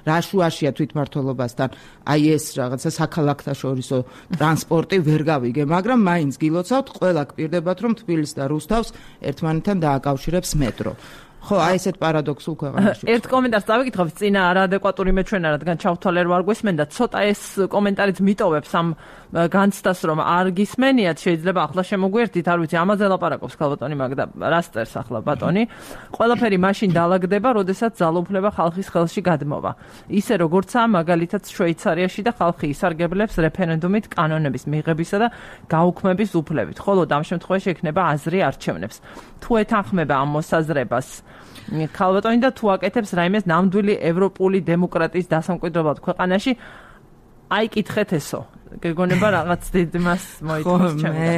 რა შუაშია თვითმმართველობასთან. აი ეს რაღაცა საქალაქთა შორისო ტრანსპორტი ვერ გავიგე, მაგრამ მაინც გილოცავთ, ყველა გპირდებათ რომ თბილისს და რუსთავს ერთმანეთთან დააკავშირებს მეტრო. ხო, აი ესეთ პარადოქსულ ქვეყანაში. ერთ კომენტარს დავიკითხავ, წინა არაადეკვატური მეჩვენა, რადგან ჩავთვალე რომ არ გვესმენდა, ცოტა ეს კომენტარიც მიტოვებს ამ განცდას, რომ არ გისმენიათ, შეიძლება ახლა შემოგვიერთდით, არ ვიცი, ამაზე ლაპარაკობს ხალბატონი მაგდა, რას წერს ახლა ბატონი. ყველაფერი მაშინ დაალაგდება, როდესაც ძალაუფლება ხალხის ხელში გადმოვა. ისე როგორცაა მაგალითად შვეიცარიაში და ხალხი ისარგებლებს რეფერენდუმით კანონების მიღებისა და გაუქმების უფლებით. ხოლო ამ შემთხვევაში ექნება აზრი არჩევნებს. თუ ეთანხმება ამ მოსაზრებას ხალბატონი და თუ აკეთებს რაიმეს ნამდვილი ევროპული დემოკრატიის დასამკვიდრებლად ქვეყანაში, აი კითხეთ ესო. გეგონება რაღაც დიდ მას მოიწონს ჩემთან.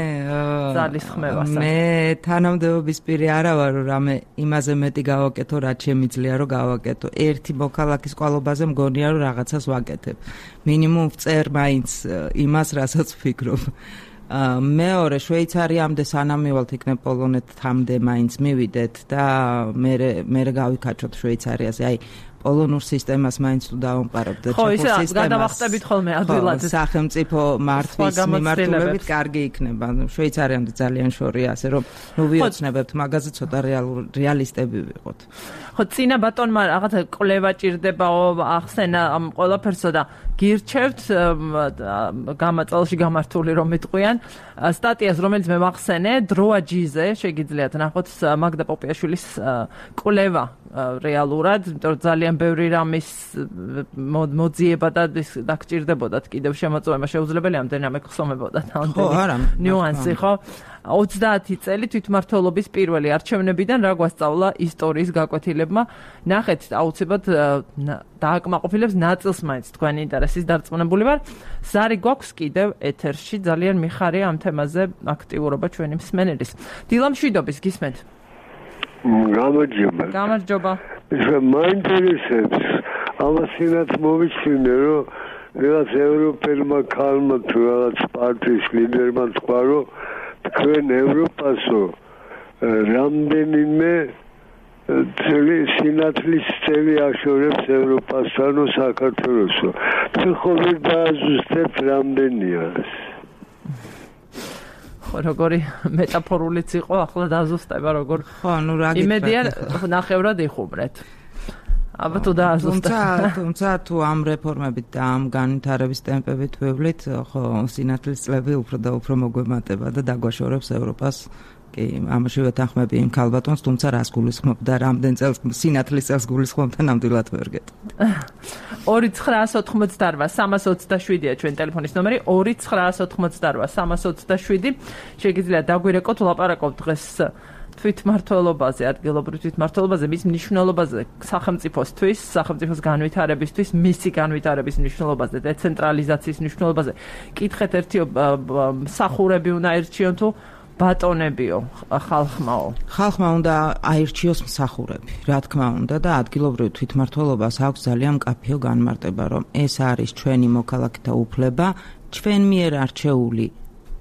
ძალის ხმევასა. მე თანამდებობის პირი არა ვარ, რომ რამე იმაზე მეტი გავაკეთო, რაც შემიძლია რომ გავაკეთო. ერთი მოქალაქის ყვალობაზე მგონია რომ რაღაცას ვაკეთებ. მინიმუმ ვწერ მაინც იმას, რასაც ვფიქრობ. მეორე შვეიცარიამდე სანამ მივალთ იქნებ პოლონეთამდე მაინც მივიდეთ და მე გავიქაჩოთ შვეიცარიაზე. აი პოლონურ სისტემას მაინც თუ დავამყარებთ და ხო, ისე გადავახტებით ხოლმე ადვილად. სახელმწიფო მართვის მიმართულებით კარგი იქნება. შვეიცარიამდე ძალიან შორია, ასე რომ ნუ ვიოცნებებთ მაგაზე ცოტა რეალისტები ვიყოთ. ხო, წინა ბატონმა რაღაცა კვლევა ჭირდებაო, ახსენა ამ ყველაფერსო და გირჩევთ გამაწელში გამართული რომ მეტყვიან სტატიას, რომელიც მე ვახსენე, დროაჯიზე, შეგიძლიათ ნახოთ მაგდა პოპიაშვილის კვლევა რეალურად, იმიტომ რომ ძალიან ბევრი რამის მოძიება და დაგჭირდებოდათ კიდევ შემოწმება შეუძლებელი, ამდენიმე ხსომებოდათ ამდენი ნიუანსი, ხო? 30 წელი თვითმმართველობის პირველი არჩევნებიდან რა გვასწავლა ისტორიის გაკვეთილებმა, ნახეთ აუცილებლად დააკმაყოფილებს ნაწილს მაინც თქვენი ინტერესის დარწმუნებული ვარ. ზარი გვაქვს კიდევ ეთერში, ძალიან მიხარია ამ თემაზე აქტიურობა ჩვენი მსმენელის. დილა მშვიდობის, გისმენთ? გამარჯობა. მაინტერესებს ამასინაც მოვიჩინე, რომ რაღაც ევროპელმა ქალმა თუ რაღაც პარტიის ლიდერმა თქვა, რომ თქვენ ევროპასო რამდენიმე სინათლის წელი აშორებს ევროპასთან საქართველოსო. თუ ხო ვერ დააზუსტებთ რამდენია ეს? როგორი მეტაფორულიც იყო, ახლა დაზუსტება როგორ. ხო, ნუ რა გიქრათ. იმედია ნახევრად იხუმრეთ. აბა თუ დააზუსტებთ. თუმცა თუ ამ რეფორმებით და ამ განვითარების ტემპებით ვევლით, ხო, სინათლის წლები უფრო და უფრო მოგვემატება და დაგვაშორებს ევროპას. კი, ამაში ვეთანხმები იმ ქალბატონს, თუმცა რას გულისხმობ და რამდენ წელს სინათლის წელს გულისხმობ და ნამდვილად ვერ გეტყვით. 2988-327-ია ჩვენ ტელეფონის ნომერი, 2988-327. შეგიძლიათ დაგვირეკოთ, ვლაპარაკობთ დღეს თვითმმართველობაზე, ადგილობრივ თვითმმართველობაზე, მის მნიშვნელობაზე სახელმწიფოსთვის, სახელმწიფოს განვითარებისთვის, მისი განვითარების მნიშვნელობაზე, დეცენტრალიზაციის მნიშვნელობაზე. კითხეთ ერთი მსახურები უნდა ერჩიონ თუ ბატონებიო, ხალხმაო. ხალხმა უნდა აირჩიოს მსახურები, რა თქმა უნდა და ადგილობრივ თვითმმართველობას აქვს ძალიან მკაფიო განმარტება, რომ ეს არის ჩვენი მოქალაქეთა უფლება, ჩვენ მიერ არჩეული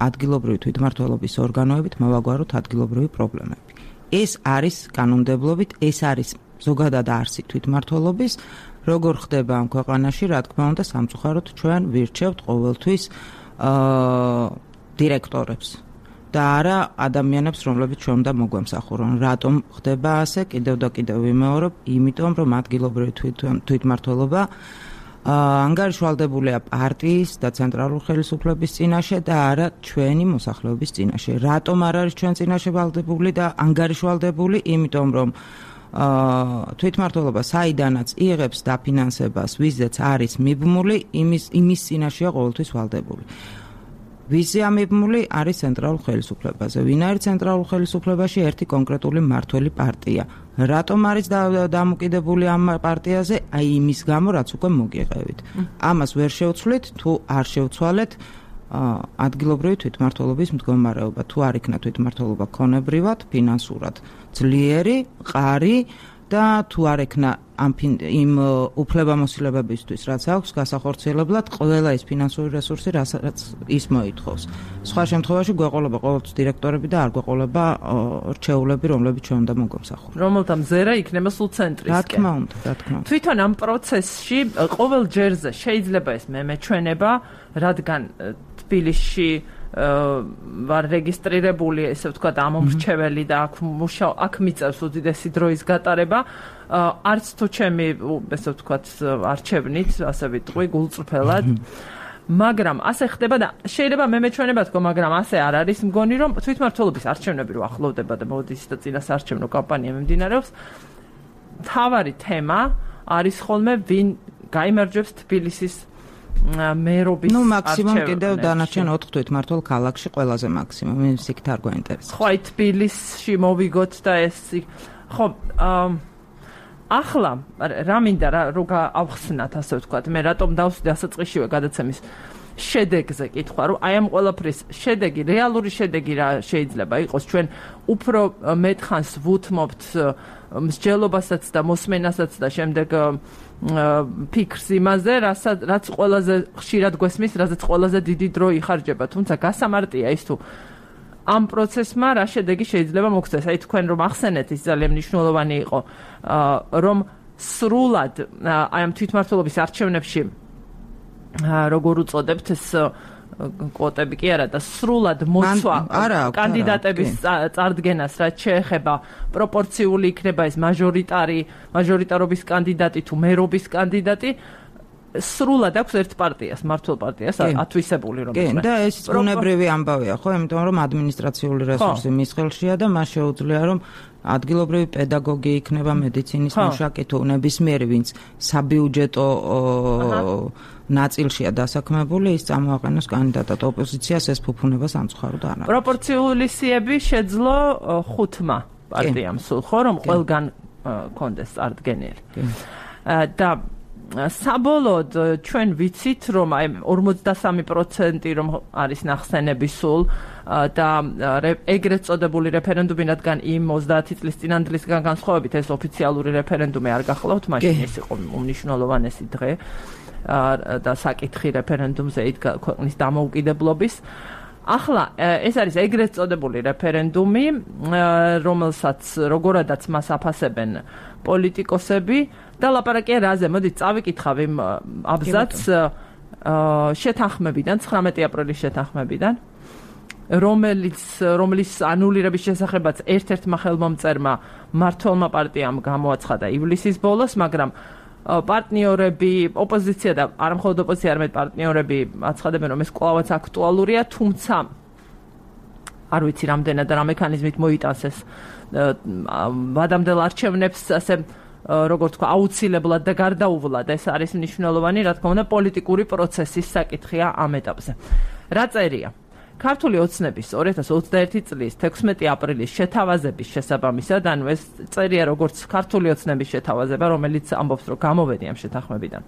ადგილობრივი თვითმმართველობის ორგანოებით მოვაგვაროთ ადგილობრივი პრობლემები. ეს არის კანონმდებლობით, ეს არის ზოგადად არსი თვითმმართველობის როგორ ხდება ამ ქვეყანაში, რა თქმა უნდა, სამწუხაროდ ჩვენ ვირჩევთ ყოველთვის დირექტორებს და არა ადამიანებს, რომლებიც ჩვენ უნდა მოგვემსახურონ. რატომ ხდება ასე? კიდევ და კიდევ ვიმეორებ, იმიტომ რომ ადგილობრივი თვითმმართველობა ანგარიშვალდებულია პარტიის და ცენტრალური ხელისუფლების წინაშე და არა ჩვენი მოსახლეობის წინაშე. რატომ არ არის ჩვენ წინაშე ვალდებული და ანგარიშვალდებული? იმიტომ რომ თვითმმართველობა საიდანაც იღებს დაფინანსებას, ვიზეც არის მიბმული, იმის წინაშეა ყოველთვის ვალდებული. ვიზია მიბმული არის ცენტრალურ ხელისუფლებაზე. ვინ არის ცენტრალურ ხელისუფლებაში? ერთი კონკრეტული მმართველი პარტია. რატომ არის დამოკიდებული ამ პარტიაზე? აი იმის გამო, რაც უკვე მოგიყევით. ამას ვერ შევცვლით, თუ არ შევცვალეთ ადგილობრივი თვითმმართველობის მდგომარეობა. თუ არ იქნა თვითმმართველობა ქონებრივად, ფინანსურად ძლიერი, მყარი და თუ არ ექნა იმ უფლებამოსილებებისთვის, რაც აქვს გასახორციელებლად ყველა ის ფინანსური რესურსი, რაც ის მოითხოვს. სხვა შემთხვევაში გვეყოლება ყოველთვის დირექტორები და არ გვეყოლება რჩეულები, რომლებიც ჩვენ უნდა მოგვემსახურონ. რომელთა მზერა იქნება სულ ცენტრისკენ. რა თქმა უნდა. თვითონ ამ პროცესში ყოველ ჯერზე შეიძლება ეს მეჩვენება, რადგან თბილისში ვარ რეგისტრირებული, ესე ვთქვათ, ამომრჩეველი და აქ მიწევს უდიდესი დროის გატარება. არც თუ ჩემი, ესე ვთქვათ, არჩევნით, ასე ვიტყვი, გულწრფელად. მაგრამ ასე ხდება და შეიძლება მეჩვენება თქო, მაგრამ ასე არ არის მგონი, რომ თვითმმართველობის არჩევნები რო ახლოვდება და მოდის და წინასაარჩევნო კამპანია მიმდინარეობს. მთავარი თემა არის ხოლმე ვინ გაიმარჯვებს თბილისის მერობის არჩევნებში. მაქსიმუმ კიდევ დანარჩენ 4 თვითმმართველ ქალაქში ყველაზე მაქსიმუმ. იმის იქ არ გვაინტერესებს. ხო, თბილისში მოვიგოთ და ეს ხო ახლა რა მინდა რომ გავხსნათ, ასე ვთქვათ, მე რატომ დავსვდი ასაწყისშივე გადაცემის შედეგზე კითხვა, რომ აი ამ ყველაფრის შედეგი, რეალური შედეგი რა შეიძლება იყოს, ჩვენ უფრო მეტხანს ვუთმობთ მსჯელობასაც და მოსმენასაც და შემდეგ ფიქრს იმაზე, რაც ყველაზე ხშირად გვესმის, რაზეც ყველაზე დიდი დრო იხარჯება, თუმცა გასამარტია ის თუ ამ პროცესმა რა შედეგი შეიძლება მოგცეს. აი თქვენ რომ ახსენეთ, ის ძალიან მნიშვნელოვანი იყო, რომ სრულად აი ამ თვითმმართველობის არჩევნებში როგორ უწოდებთ ეს კვოტები კი არა და სრულად მოსვა კანდიდატების წარდგენას, რაც შეეხება პროპორციული იქნება ეს მაჟორიტარობის კანდიდატი თუ მერობის კანდიდატი, სრულად აქვს ერთ პარტიას, მმართველ პარტიას ათვისებული რომ კი, და ეს უნებრივი ამბავია, ხო, იმიტომ რომ ადმინისტრაციული რესურსი მის ხელშია და მას შეუძლია რომ ადგილობრივი პედაგოგი იქნება, მედიცინის მუშაკი თუ ნებისმიერი, ვინც საბიუჯეტო ნაწილშია დასაქმებული, ის წამოაყენოს კანდიდატად. ოპოზიციას ეს ფუფუნება სამწუხაროდ არ აქვს. პროპორციული სიები შეძლო 5 პარტიამ სულ, ხო, რომ ყველგან კონდეს წარდგენილი. და საბოლოოდ ჩვენ ვიცით, რომ აი 43% რომ არის ნახსენები სულ და ეგრეთ წოდებული რეფერენდუმი, რადგან იმ 30 წლის წინანდლისგან განსხვავებით ეს ოფიციალური რეფერენდუმი არ გახლავთ, მაშინ ეს იყო უმნიშვნელოვანესი დღე და საკითხი რეფერენდუმზე იდგა ქვეყნის დამოუკიდებლობის. ახლა ეს არის ეგრეთ წოდებული რეფერენდუმი, რომელსაც როგორადაც მას აფასებენ პოლიტიკოსები და ლაპარაკია რაზე? მოდით წავიკითხავ იმ აბზაცს შეთანხმებიდან, 19 აპრილის შეთანხმებიდან, რომლის ანულირების შესახებაც ერთ-ერთმა ხელმომწერმა მმართველმა პარტიამ გამოაცხადა ივლისის ბოლოს, მაგრამ პარტნიორები, ოპოზიცია და არა მხოლოდ ოპოზიცია, არამედ პარტნიორები აცხადებენ, რომ ეს კვლავაც აქტუალურია, თუმცა არ ვიცი რამდენად და რა მექანიზმით მოიტანს ეს ვადამდელ არჩევნებს, ასე როგორც თქვა, აუცილებლად და გარდაუვლად. ეს არის მნიშვნელოვანი, რა თქმა უნდა, პოლიტიკური პროცესის საკითხია ამ ეტაპზე. რა წერია? ქართული ოცნების 2021 წლის 16 აპრილის შეთავაზების შესაბამისად, ანუ ეს წერია როგორც ქართული ოცნების შეთავაზება, რომელიც ამბობს, რომ გამოვედი ამ შეთანხმებიდან.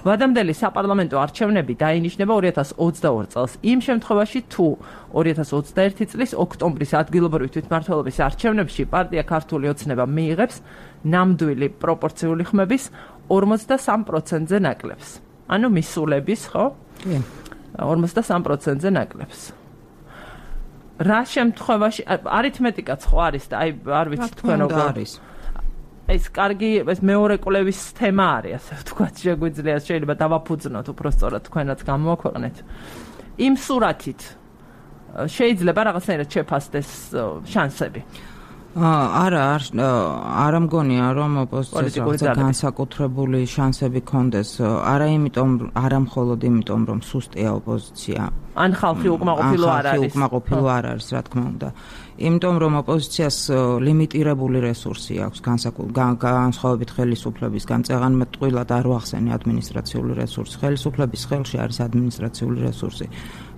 ვადამდელი საპარლამენტო არჩევნები დაინიშნება 2022 წელს. იმ შემთხვევაში, თუ 2021 წლის ოქტომბრის ადგილობრივი თვითმმართველობის არჩევნებში პარტია ქართული ოცნება მიიღებს ნამდვილი პროპორციული ხმების 43%-ზე ნაკლებს. ანუ მისულების, ხო? 43%-ზე ნაკლებს. რა შემთხვევაში არითმეტიკაც ხო არის და აი არ ვიცი თქვენ როგორ არის. ეს კარგი ეს მეორე კვლევის თემა არის, ასე ვთქვათ, შეგვიძლია შეიძლება დავაფუძნოთ უბრალოდ თქვენაც გამოაქვეყნეთ. იმ სურათით შეიძლება რაღაცნაირად შეფასდეს შანსები. არა მგონია რომ ოპოზიციას განსაკუთრებული შანსები კონდეს, არა მხოლოდ იმიტომ რომ სუსტია ოპოზიცია. ან ხალხი უკმაყოფილო არ არის. უკმაყოფილო არ არის, რა თქმა უნდა. იმიტომ რომ ოპოზიციას ლიმიტირებული რესურსი აქვს განსხვავებით ხელისუფლებისგან, წეღანმე ტყუილად არ ვახსენე ადმინისტრაციული რესურსი. ხელისუფლების ხელში არის ადმინისტრაციული რესურსი,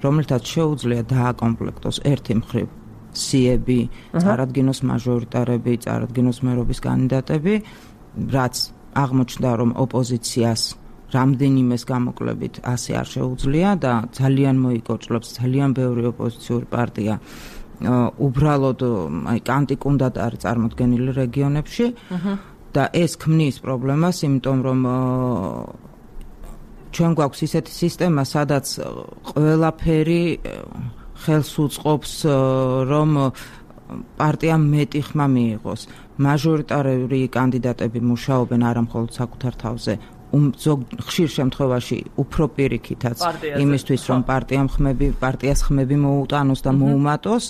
რომელთაც შეუძლია დააკომპლექტოს ერთი მხრივ სიები, წარადგინოს მაჟორიტარები, წარადგინოს მერობის კანდიდატები, რაც აღმოჩნდა რომ ოპოზიციას რამდენიმეს გამოკლებით ასე არ შეუძლია და ძალიან მოიკოჭლებს ძალიან ბევრი ოპოზიციური პარტია უბრალოდ კანტიკუნდად არის წარმოდგენილი რეგიონებში და ეს ქმნის პრობლემას, იმიტომ რომ ჩვენ გვაქვს ისეთი სისტემა, სადაც ყველაფერი ხელს უწყობს რომ პარტიამ მეტი ხმა მიიღოს. მაჟორიტარული კანდიდატები მუშაობენ არა მხოლოდ საკუთარ თავზე, ხშირ შემთხვევაში უფრო პირიქითაც იმისთვის რომ პარტიას ხმები მოუტანოს და მოუმატოს.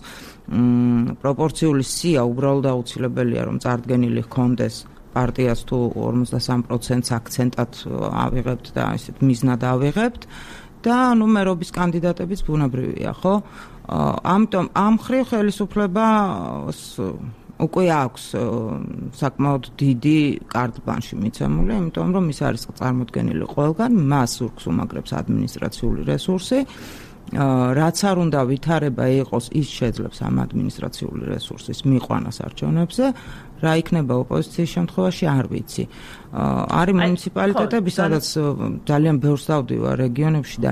პროპორციული სია უბრალოდ აუცილებელია რომ წარდგენილი ჰქონდეს პარტიას თუ 53%-ს აქცენტად ავიღებთ და ესეთ მიზნად ავიღებთ და მერობის კანდიდატებიც ბუნებრივია, ხო? ამიტომ ამ მხრივ ხელისუფლებას უკვე აქვს საკმაოდ დიდი კარტბანში მიცემული, იმიტომ რომ ის არის წარმოდგენილი ყველგან, მას ურქს უმაგრებს ადმინისტრაციული რესურსი, რაც არ უნდა ვითარება იყოს, ის შეძლებს ამ ადმინისტრაციული რესურსის მიყვანას არჩევნებზე, რა იქნება ოპოზიციის შემთხვევაში არ ვიცი. არის მუნიციპალიტეტები, სადაც ძალიან ბევრს დავდივარ რეგიონებში და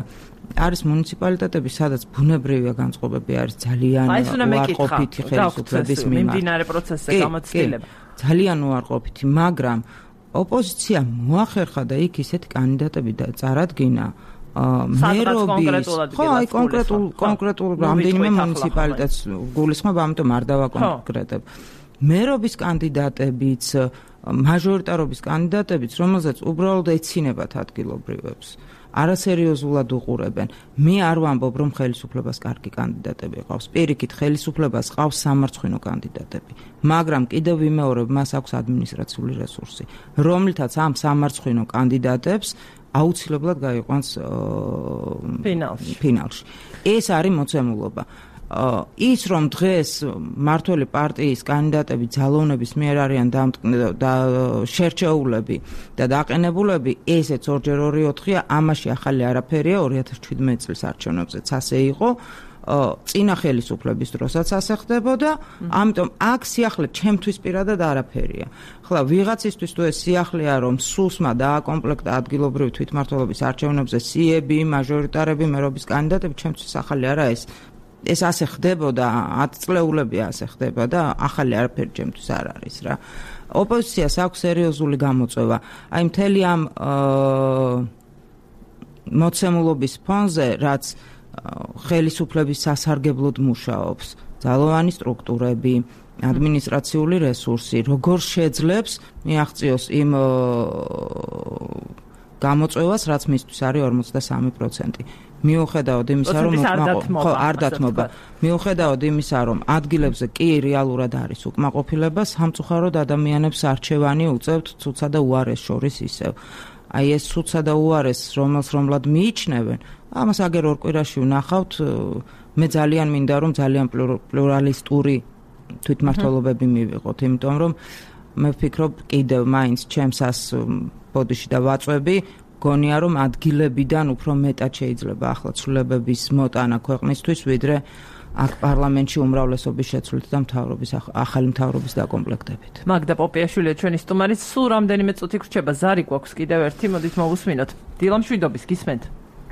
არის მუნიციპალიტეტები, სადაც ბუნებრივია განწყობები არის ძალიან უარყოფითი ხელისუფლების მიმართ. მიმდინარე პროცესზე გამოცდილება. ძალიან უარყოფითი, მაგრამ ოპოზიცია მოახერხა და იქ ისეთი კანდიდატები და წარადგინა მერობის, ხო, აი კონკრეტულ რამდენიმე მუნიციპალიტეტს გულისხმობ, ამიტომ არ დავაკონკრეტებ. მერობის კანდიდატებიც, მაჟორიტარობის კანდიდატებიც, რომელზეც უბრალოდ ეცინებათ ადგილობრივებს. არასერიოზულად უყურებენ. მე არ ვამბობ, რომ ხელისუფლებას კარგი კანდიდატები ყავს. პირიქით, ხელისუფლებას ყავს სამარცხვინო კანდიდატები. მაგრამ კიდევ ვიმეორებ, მას აქვს ადმინისტრაციული რესურსი, რომლითაც ამ სამარცხვინო კანდიდატებს აუცილებლად გაიყვანს ფინალში. ეს არის მოცემულობა. ის რომ დღეს მართველი პარტიის კანდიდატები ძალოვნების მიერ არიან შერჩეულები და დაყენებულები, ესეც 2x2-4-ია, ამაში ახალი არაფერია, 2017 წლის არჩევნებზეც ასე იყო, წინა ხელისუფლების დროსაც ასე ხდებოდა, ამიტომ აქ სიახლე ჩემთვის პირადად არაფერია. ხლა ვიღაცისთვის თუ ეს სიახლეა, რომ სუსმა დააკომპლექტა ადგილობრივი თვითმმართველობის არჩევნებზე სიები, მაჟორიტარები, მერობის კანდიდატები, ჩემთვის ახალი არა ეს ასე ხდებოდა, 10 წლეულები ასე ხდება და ახალი არაფერი ჩემთვის არ არის რა. ოპოზიციას აქვს სერიოზული გამოწვევა. აი მთელი ამ მოცემულობის ფონზე, რაც ხელისუფლების სასარგებლოდ მუშაობს, ძალოვანი სტრუქტურები, ადმინისტრაციული რესურსი, როგორ შეძლებს მიაღწიოს იმ გამოწვევას, რაც მისთვის არის 53%. მიუხედავად იმისა, რომ არ დათმობა. მიუხედავად იმისა, რომ ადგილებზე კი რეალურად არის უკმაყოფილება, სამწუხაროდ ადამიანებს არჩევანი უწევთ ცუცა და უარეს შორის ისევ. აი ეს ცუცა და უარეს, რომელსაც მიიჩნევენ, ამას აგერ ორ კვირაში ვნახავთ. მე ძალიან მინდა, რომ ძალიან პლურალისტური თვითმმართველობები მივიღოთ, იმიტომ რომ მე ვფიქრობ, კიდევ მაინც ჩემსას ბოდიში და ვაწვევი, გონია რომ ადგილებიდან უფრო მეტად შეიძლება ახლა ცვლილებების მოტანა ქვეყნისთვის, ვიდრე აქ პარლამენტში უმრავლესობის შეცვლით და ახალი მთავრობის დაკომპლექტებით. მაგდა პოპიაშვილია ჩვენი სტუმარი, სულ რამდენიმე წუთი გრჩება, ზარი გვაქვს კიდევ ერთი, მოდით მოვუსმინოთ. დილამშვიდობის, გისმენთ.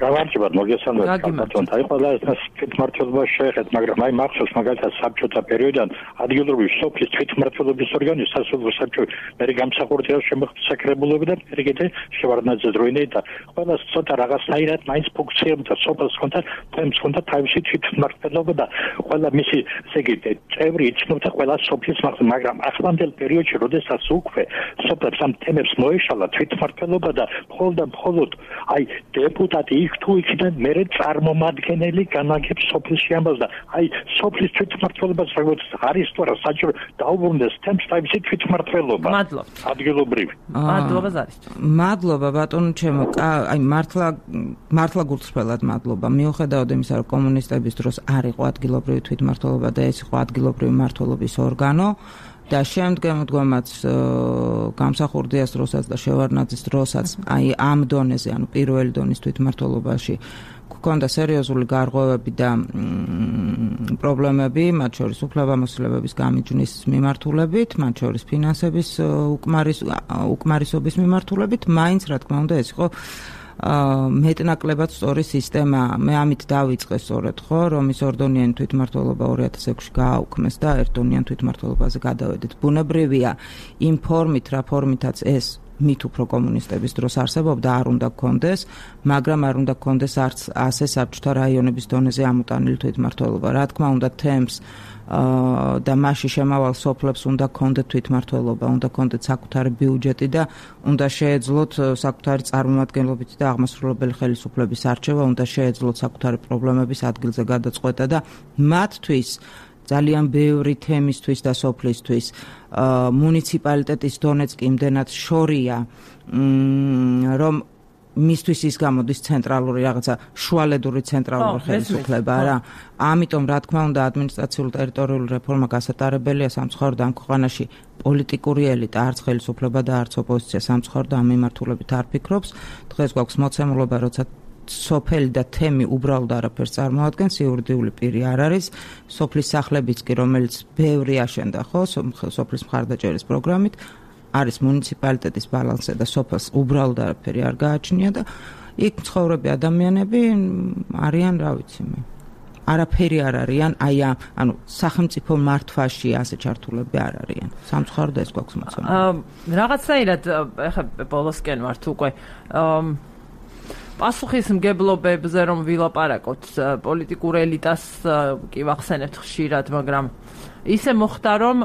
გამარჯობა, მოგესალმებით ბატონო. აი ყველა ეს თვითმმართველობა შეეხეთ, მაგრამ აი მახსოვს მაგალითად საბჭოთა პერიოდიდან ადგილობრივი სოფლის თვითმმართველობის ორგანო სასოფლო საბჭო მე გამსახურდია შემოხსაკრებულები და ეგეთი შევარდნაძე დროინე და ყველა ცოტა რაღაცნაირად მაინც ფუნქციებდა სოფელს ხონდა თემს ხონდა თავისი თვითმმართველობა და ყველა მისი ესე იგი წევრი იცნობდა ყველა სოფლის მაგრამ ახლანდელ პერიოდში როდესაც უკვე სოფლებს ამ თემებს მოეშალა თვითმმართველობა და მხოლოდ აი დეპუტატი იქ თუ იქიდან მერე წარმომადგენელი განაგებს სოფლში ამბავს და აი სოფლის თვითმმართველობას როგორც არის თუ არა საჭირო დაუბრუნდეს თემს თავისი თვითმმართველობა. მადლობა. ადგილობრივი. მადლობა ზარის. მადლობა ბატონო ჩემო. აი მართლა გულწრფელად მადლობა. მიუხედავად იმისა, რომ კომუნისტების დროს არ იყო ადგილობრივი თვითმმართველობა და ეს იყო ადგილობრივი მმართველობის ორგანო და შემდგომაც გამსახურდიას დროსაც და შევარდნაძის დროსაც აი ამ დონეზე, ანუ პირველი დონის თვითმმართველობაში გქონდა სერიოზული გარღვევები და პრობლემები, მათ შორის უფლებამოსილებების გამიჯვნის მიმართულებით, მათ შორის ფინანსების უკმარისობის მიმართულებით, მაინც რა თქმა უნდა ეს იყო მეტნაკლებად სწორი სისტემა. მე ამით დავიწყე სწორედ ხო, რომ ის ორდონიანი თვითმმართველობა 2006-ში გააუქმეს და ერთდონიან თვითმმართველობაზე გადავედით. ბუნებრივია იმ ფორმით, რა ფორმითაც ეს მით უფრო კომუნისტების დროს არსებობდა, არ უნდა გქონდეს, მაგრამ არ უნდა გქონდეს არც ასე საბჭოთა რაიონების დონეზე ამოტანილი თვითმმართველობა. რა თქმა უნდა, თემს და მასში შემავალ სოფლებს უნდა გქონდეთ თვითმმართველობა, უნდა გქონდეთ საკუთარი ბიუჯეტი და უნდა შეეძლოთ საკუთარი წარმომადგენლობითი და აღმასრულებელი ხელისუფლების არჩევა, უნდა შეეძლოთ საკუთარი პრობლემების ადგილზე გადაწყვეტა და მათთვის ძალიან ბევრი თემისთვის და სოფლისთვის მუნიციპალიტეტის დონეც კი იმდენად შორია, რომ მისთვის ის გამოდის ცენტრალური რაღაცა შუალედური ცენტრალური ხელისუფლება რა. ამიტომ რა თქმა უნდა ადმინისტრაციული ტერიტორიული რეფორმა გასატარებელია სამწუხაროდ ამ ქვეყანაში პოლიტიკური ელიტა, არც ხელისუფლება და არც ოპოზიცია სამწუხაროდ ამ მიმართულებით არ ფიქრობს. დღეს გვაქვს მოცემულობა, როცა სოფელი და თემი უბრალოდ არაფერს წარმოადგენს, იურიდიული პირი არ არის. სოფლის სახლებიც კი, რომელიც ბევრი აშენდა ხო, სოფლის მხარდაჭერის პროგრამით, არის მუნიციპალიტეტის ბალანსზე და სოფელს უბრალოდ არაფერი არ გააჩნია და იქ მცხოვრები ადამიანები არიან, რა ვიცი მე. არაფერი არ არიან, აი ანუ სახელმწიფო მართვაში ასე ჩართულები არ არიან. სამწუხაროდ ეს გვაქვს მოცემული. რაღაცნაირად ეხლა ბოლოსკენ ვართ უკვე პასუხისმგებლობებზე რომ ვილაპარაკოთ პოლიტიკურ ელიტას კი ვახსენებთ ხშირად, მაგრამ ისე მოხდა რომ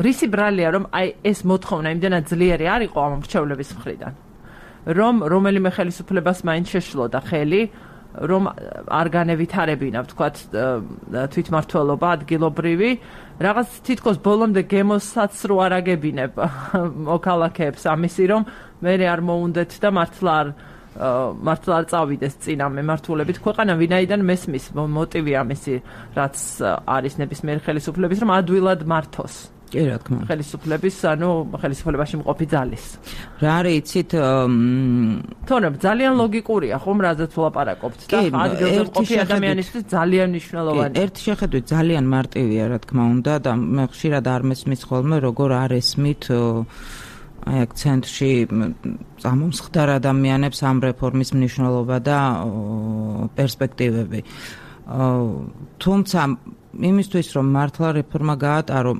რისი ბრალია რომ აი ეს მოთხოვნა იმდენად ძლიერი არ იყო ამ მრჩევლების მხრიდან, რომ რომელიმე ხელისუფლებას მაინც შეშლოდა ხელი, რომ არ განევითარებინა ვთქვათ თვითმმართველობა ადგილობრივი, რაღაც თითქოს ბოლომდე გემოსაც რო არ აგებინებ მოქალაქეებს ამისი, რომ მე არ მოუნდეთ და მართლა არ წავიდეს წინა მემართულებით ქვეყანა, ვინაიდან მესმის მოტივი ამისი, რაც არის ნებისმიერი ხელისუფლების, რომ ადვილად მართოს. კი, რა თქმა უნდა. ხელისუფლების, ანუ ხელისუფლებაში მყოფი ძალის. რა არის იცით, თორემ ძალიან ლოგიკურია ხომ, რაზეც ვლაპარაკობთ და ადგილზე მყოფი ადამიანისთვის ძალიან მნიშვნელოვანია. ერთი შეხედვით ძალიან მარტივია, რა თქმა უნდა, და მე ხშირად არ მესმის ხოლმე, როგორ არ ესმით აი აქ ცენტრში წამომსხდარ ადამიანებს ამ რეფორმის მნიშვნელობა და პერსპექტივები. თუმცა იმისთვის რომ მართლა რეფორმა გაატარო,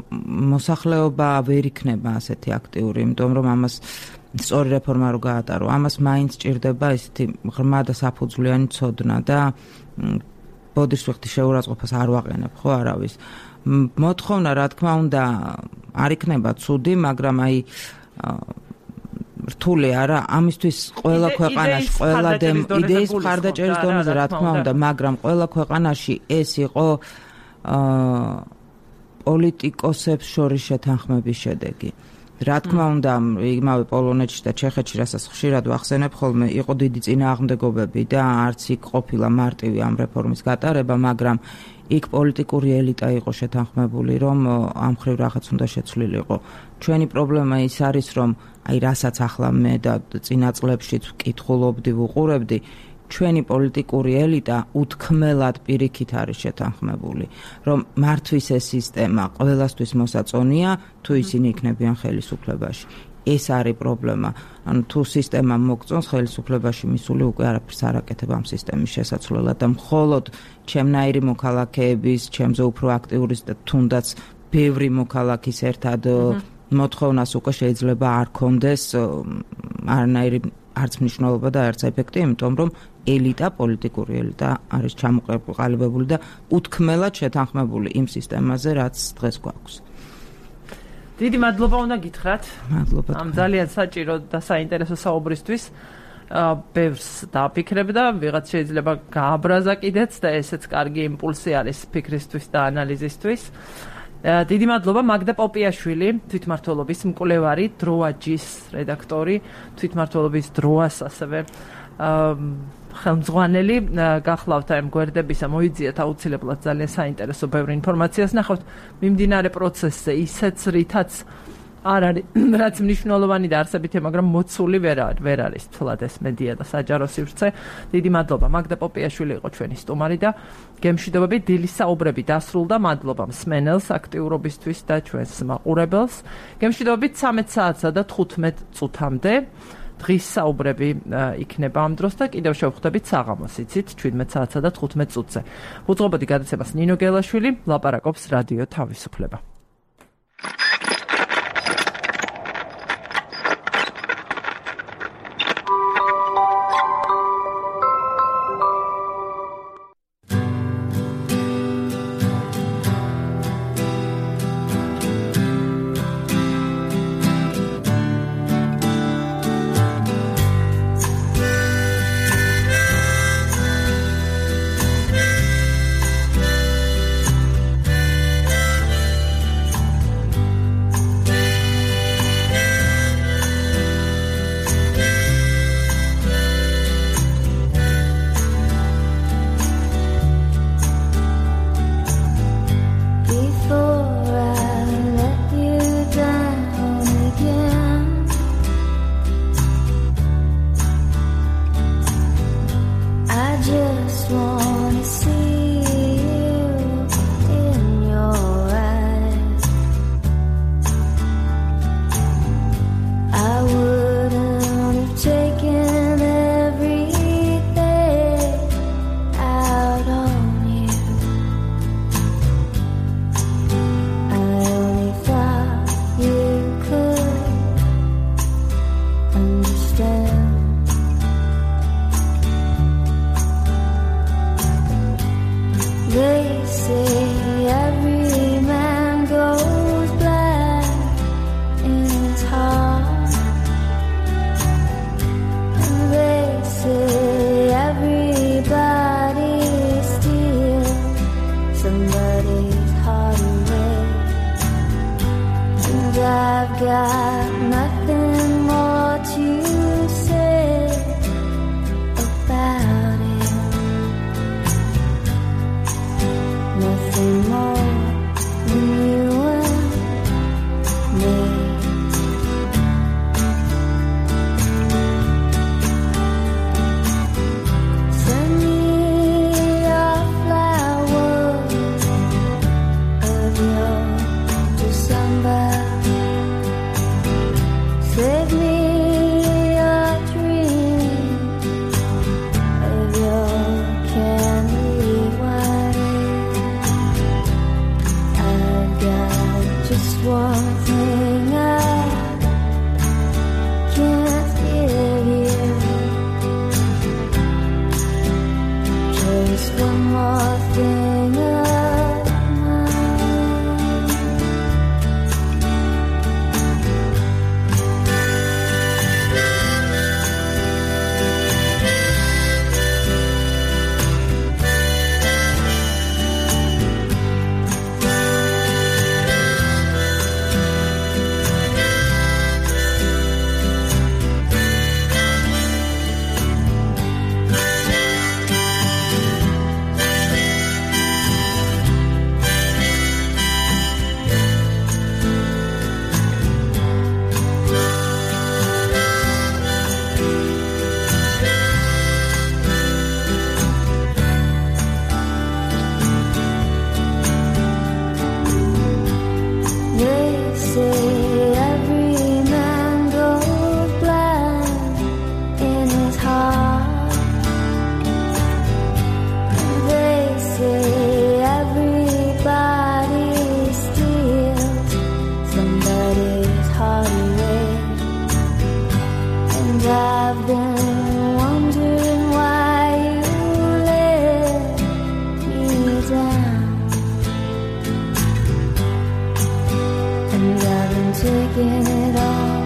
მოსახლეობა ვერ იქნება ასეთი აქტიური, იმიტომ რომ ამას სწორი რეფორმა რო გაატარო, ამას მაინც ჭირდება ესეთი ღრმა და საფუძვლიანი ცოდნა და ბოდიშვილის შეურაცხყოფას არ ვაყენებ ხო არავის. მოთხოვნა რა თქმა უნდა არ იქნება ცუდი, მაგრამ აი რთული არა, ამისთვის ყველა ქვეყანაში, ყველა იდეის მხარდაჭერის დონეზე რა თქმა უნდა, მაგრამ ყველა ქვეყანაში ეს იყო პოლიტიკოსებს შორის შეთანხმების შედეგი. რა თქმა უნდა, იმავე პოლონეთში და ჩეხეთში, რასაც ხშირად ვახსენებ ხოლმე, იყო დიდი წინააღმდეგობები და არც იქ ყოფილა მარტივი ამ რეფორმის გატარება, მაგრამ იქ პოლიტიკური ელიტა იყო შეთანხმებული, რომ ამ ხრივ რაღაც უნდა შეცვლილიყო. ჩვენი პრობლემა ის არის, რომ აი რასაც ახლა მე და წინა წლებშიც ვკითხულობდი, ვუყურებდი, ჩვენი პოლიტიკური ელიტა უთქმელად პირიქით არის შეთანხმებული, რომ მართვის ეს სისტემა ყველასთვის მოსაწონია, თუ ისინი იქნებიან ხელისუფლებაში. ეს არის პრობლემა. ანუ თუ სისტემა მოგწონს ხელისუფლებაში მისული უკვე არაფერს არ აკეთებ ამ სისტემის შესაცვლელად და მხოლოდ ჩემნაირი მოქალაქეების, ჩემზე უფრო აქტიური და თუნდაც ბევრი მოქალაქის ერთად მოთხოვნას უკვე შეიძლება არ კონდეს არანაირი არც მნიშვნელობა და არც ეფექტი, იმიტომ რომ ელიტა, პოლიტიკური ელიტა არის ჩამოყალიბებული და უთქმელად შეთანხმებული იმ სისტემაზე, რაც დღეს გვაქვს. დიდი მადლობა უნდა გითხრათ. მადლობა. ამ ძალიან საჭირო და საინტერესო საუბრისთვის. ბევრს დაფიქრებ და ვიღაც შეიძლება გააბრაზა კიდეც და ესეც კარგი იმპულსი არის ფიქრისთვის და ანალიზისთვის. დიდი მადლობა მაგდა პოპიაშვილი, თვითმმართველობის მკვლევარი, დროაჯის რედაქტორი, თვითმმართველობის დროას ასევე ხელმძღვანელი. გახლავთ ამ გვერდებისა, მოიძიათ აუცილებლად ძალიან საინტერესო ბევრი ინფორმაციას ნახავთ მიმდინარე პროცესზე, ისეც რითაც არ არის რაც მნიშვნელოვანი და არსებითია, მაგრამ მოცული ვერ არის თლად ეს მედია და საჯარო სივრცე. დიდი მადლობა. მაგდა პოპიაშვილი იყო ჩვენი სტუმარი და გემშვიდობები, დილის საუბრები დასრულდა. მადლობა მსმენელს აქტიურობისთვის და ჩვენს მაყურებელს. გემშვიდობები 13 საათსა და 15 წუთამდე. დღის საუბრები იქნება ამ დროს და კიდევ შევხვდებით საღამოს, იცით, 17 საათსა და 15 წუთზე. უძღვებოდი გადაცემას ნინო გელაშვილი, ლაპარაკობს რადიო თავისუფლება. body weight. And I've been wondering why you let me down. And I've been taking it all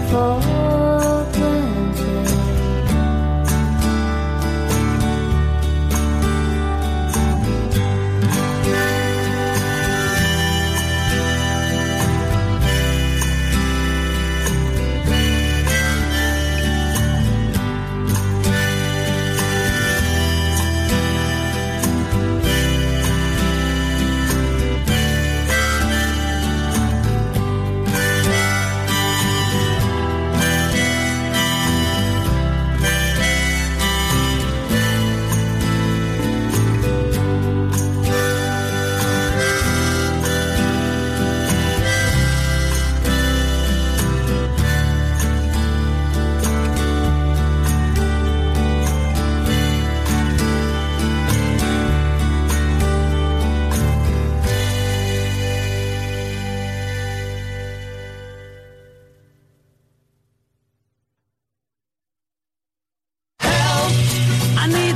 for granted.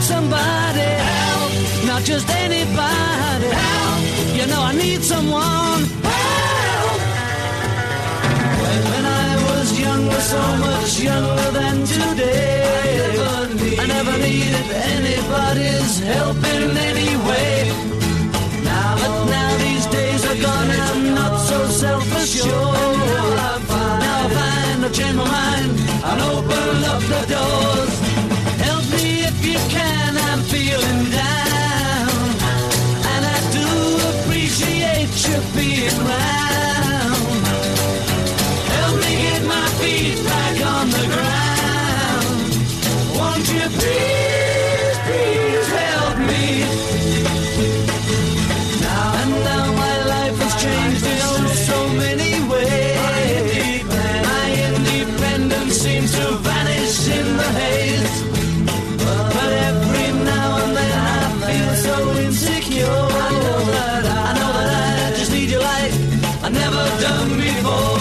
Somebody help, not just anybody help. You know I need someone help. When I was younger, so much younger than today, I never needed anybody's help in any way. But now these days are gone and I'm not so self-assured. Now I find I've changed my mind and open up the doors. Help me if you can, I'm feeling down, and I do appreciate you being round. Help me get my feet back on the ground. Won't you please, please help me? Now my life has changed in so many ways. My independence seems to vanish in the haze. But every now and then I feel so insecure. I know that I just need your light I've never done before.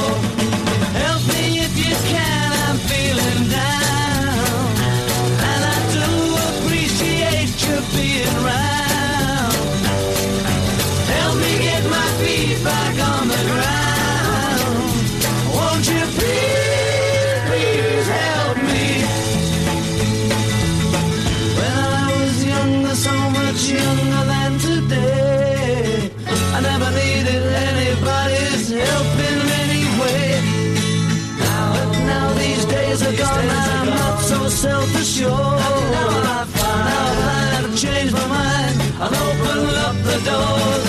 Help me if you can, I'm feeling down, and I do appreciate you being round. Help me get my feet back on the ground. Won't you please, please help me? So much younger than today, I never needed anybody's help in any way. Now these days are gone, I'm not so self-assured. Now I find I've changed my mind and opened up the doors.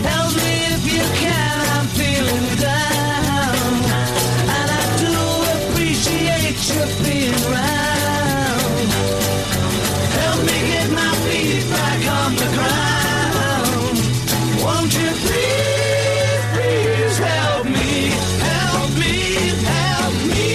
Help me if you can, I'm feeling down, and I do appreciate you being round. Help me get my feet back on the ground. Won't you please, please help me, help me, help me.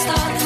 Start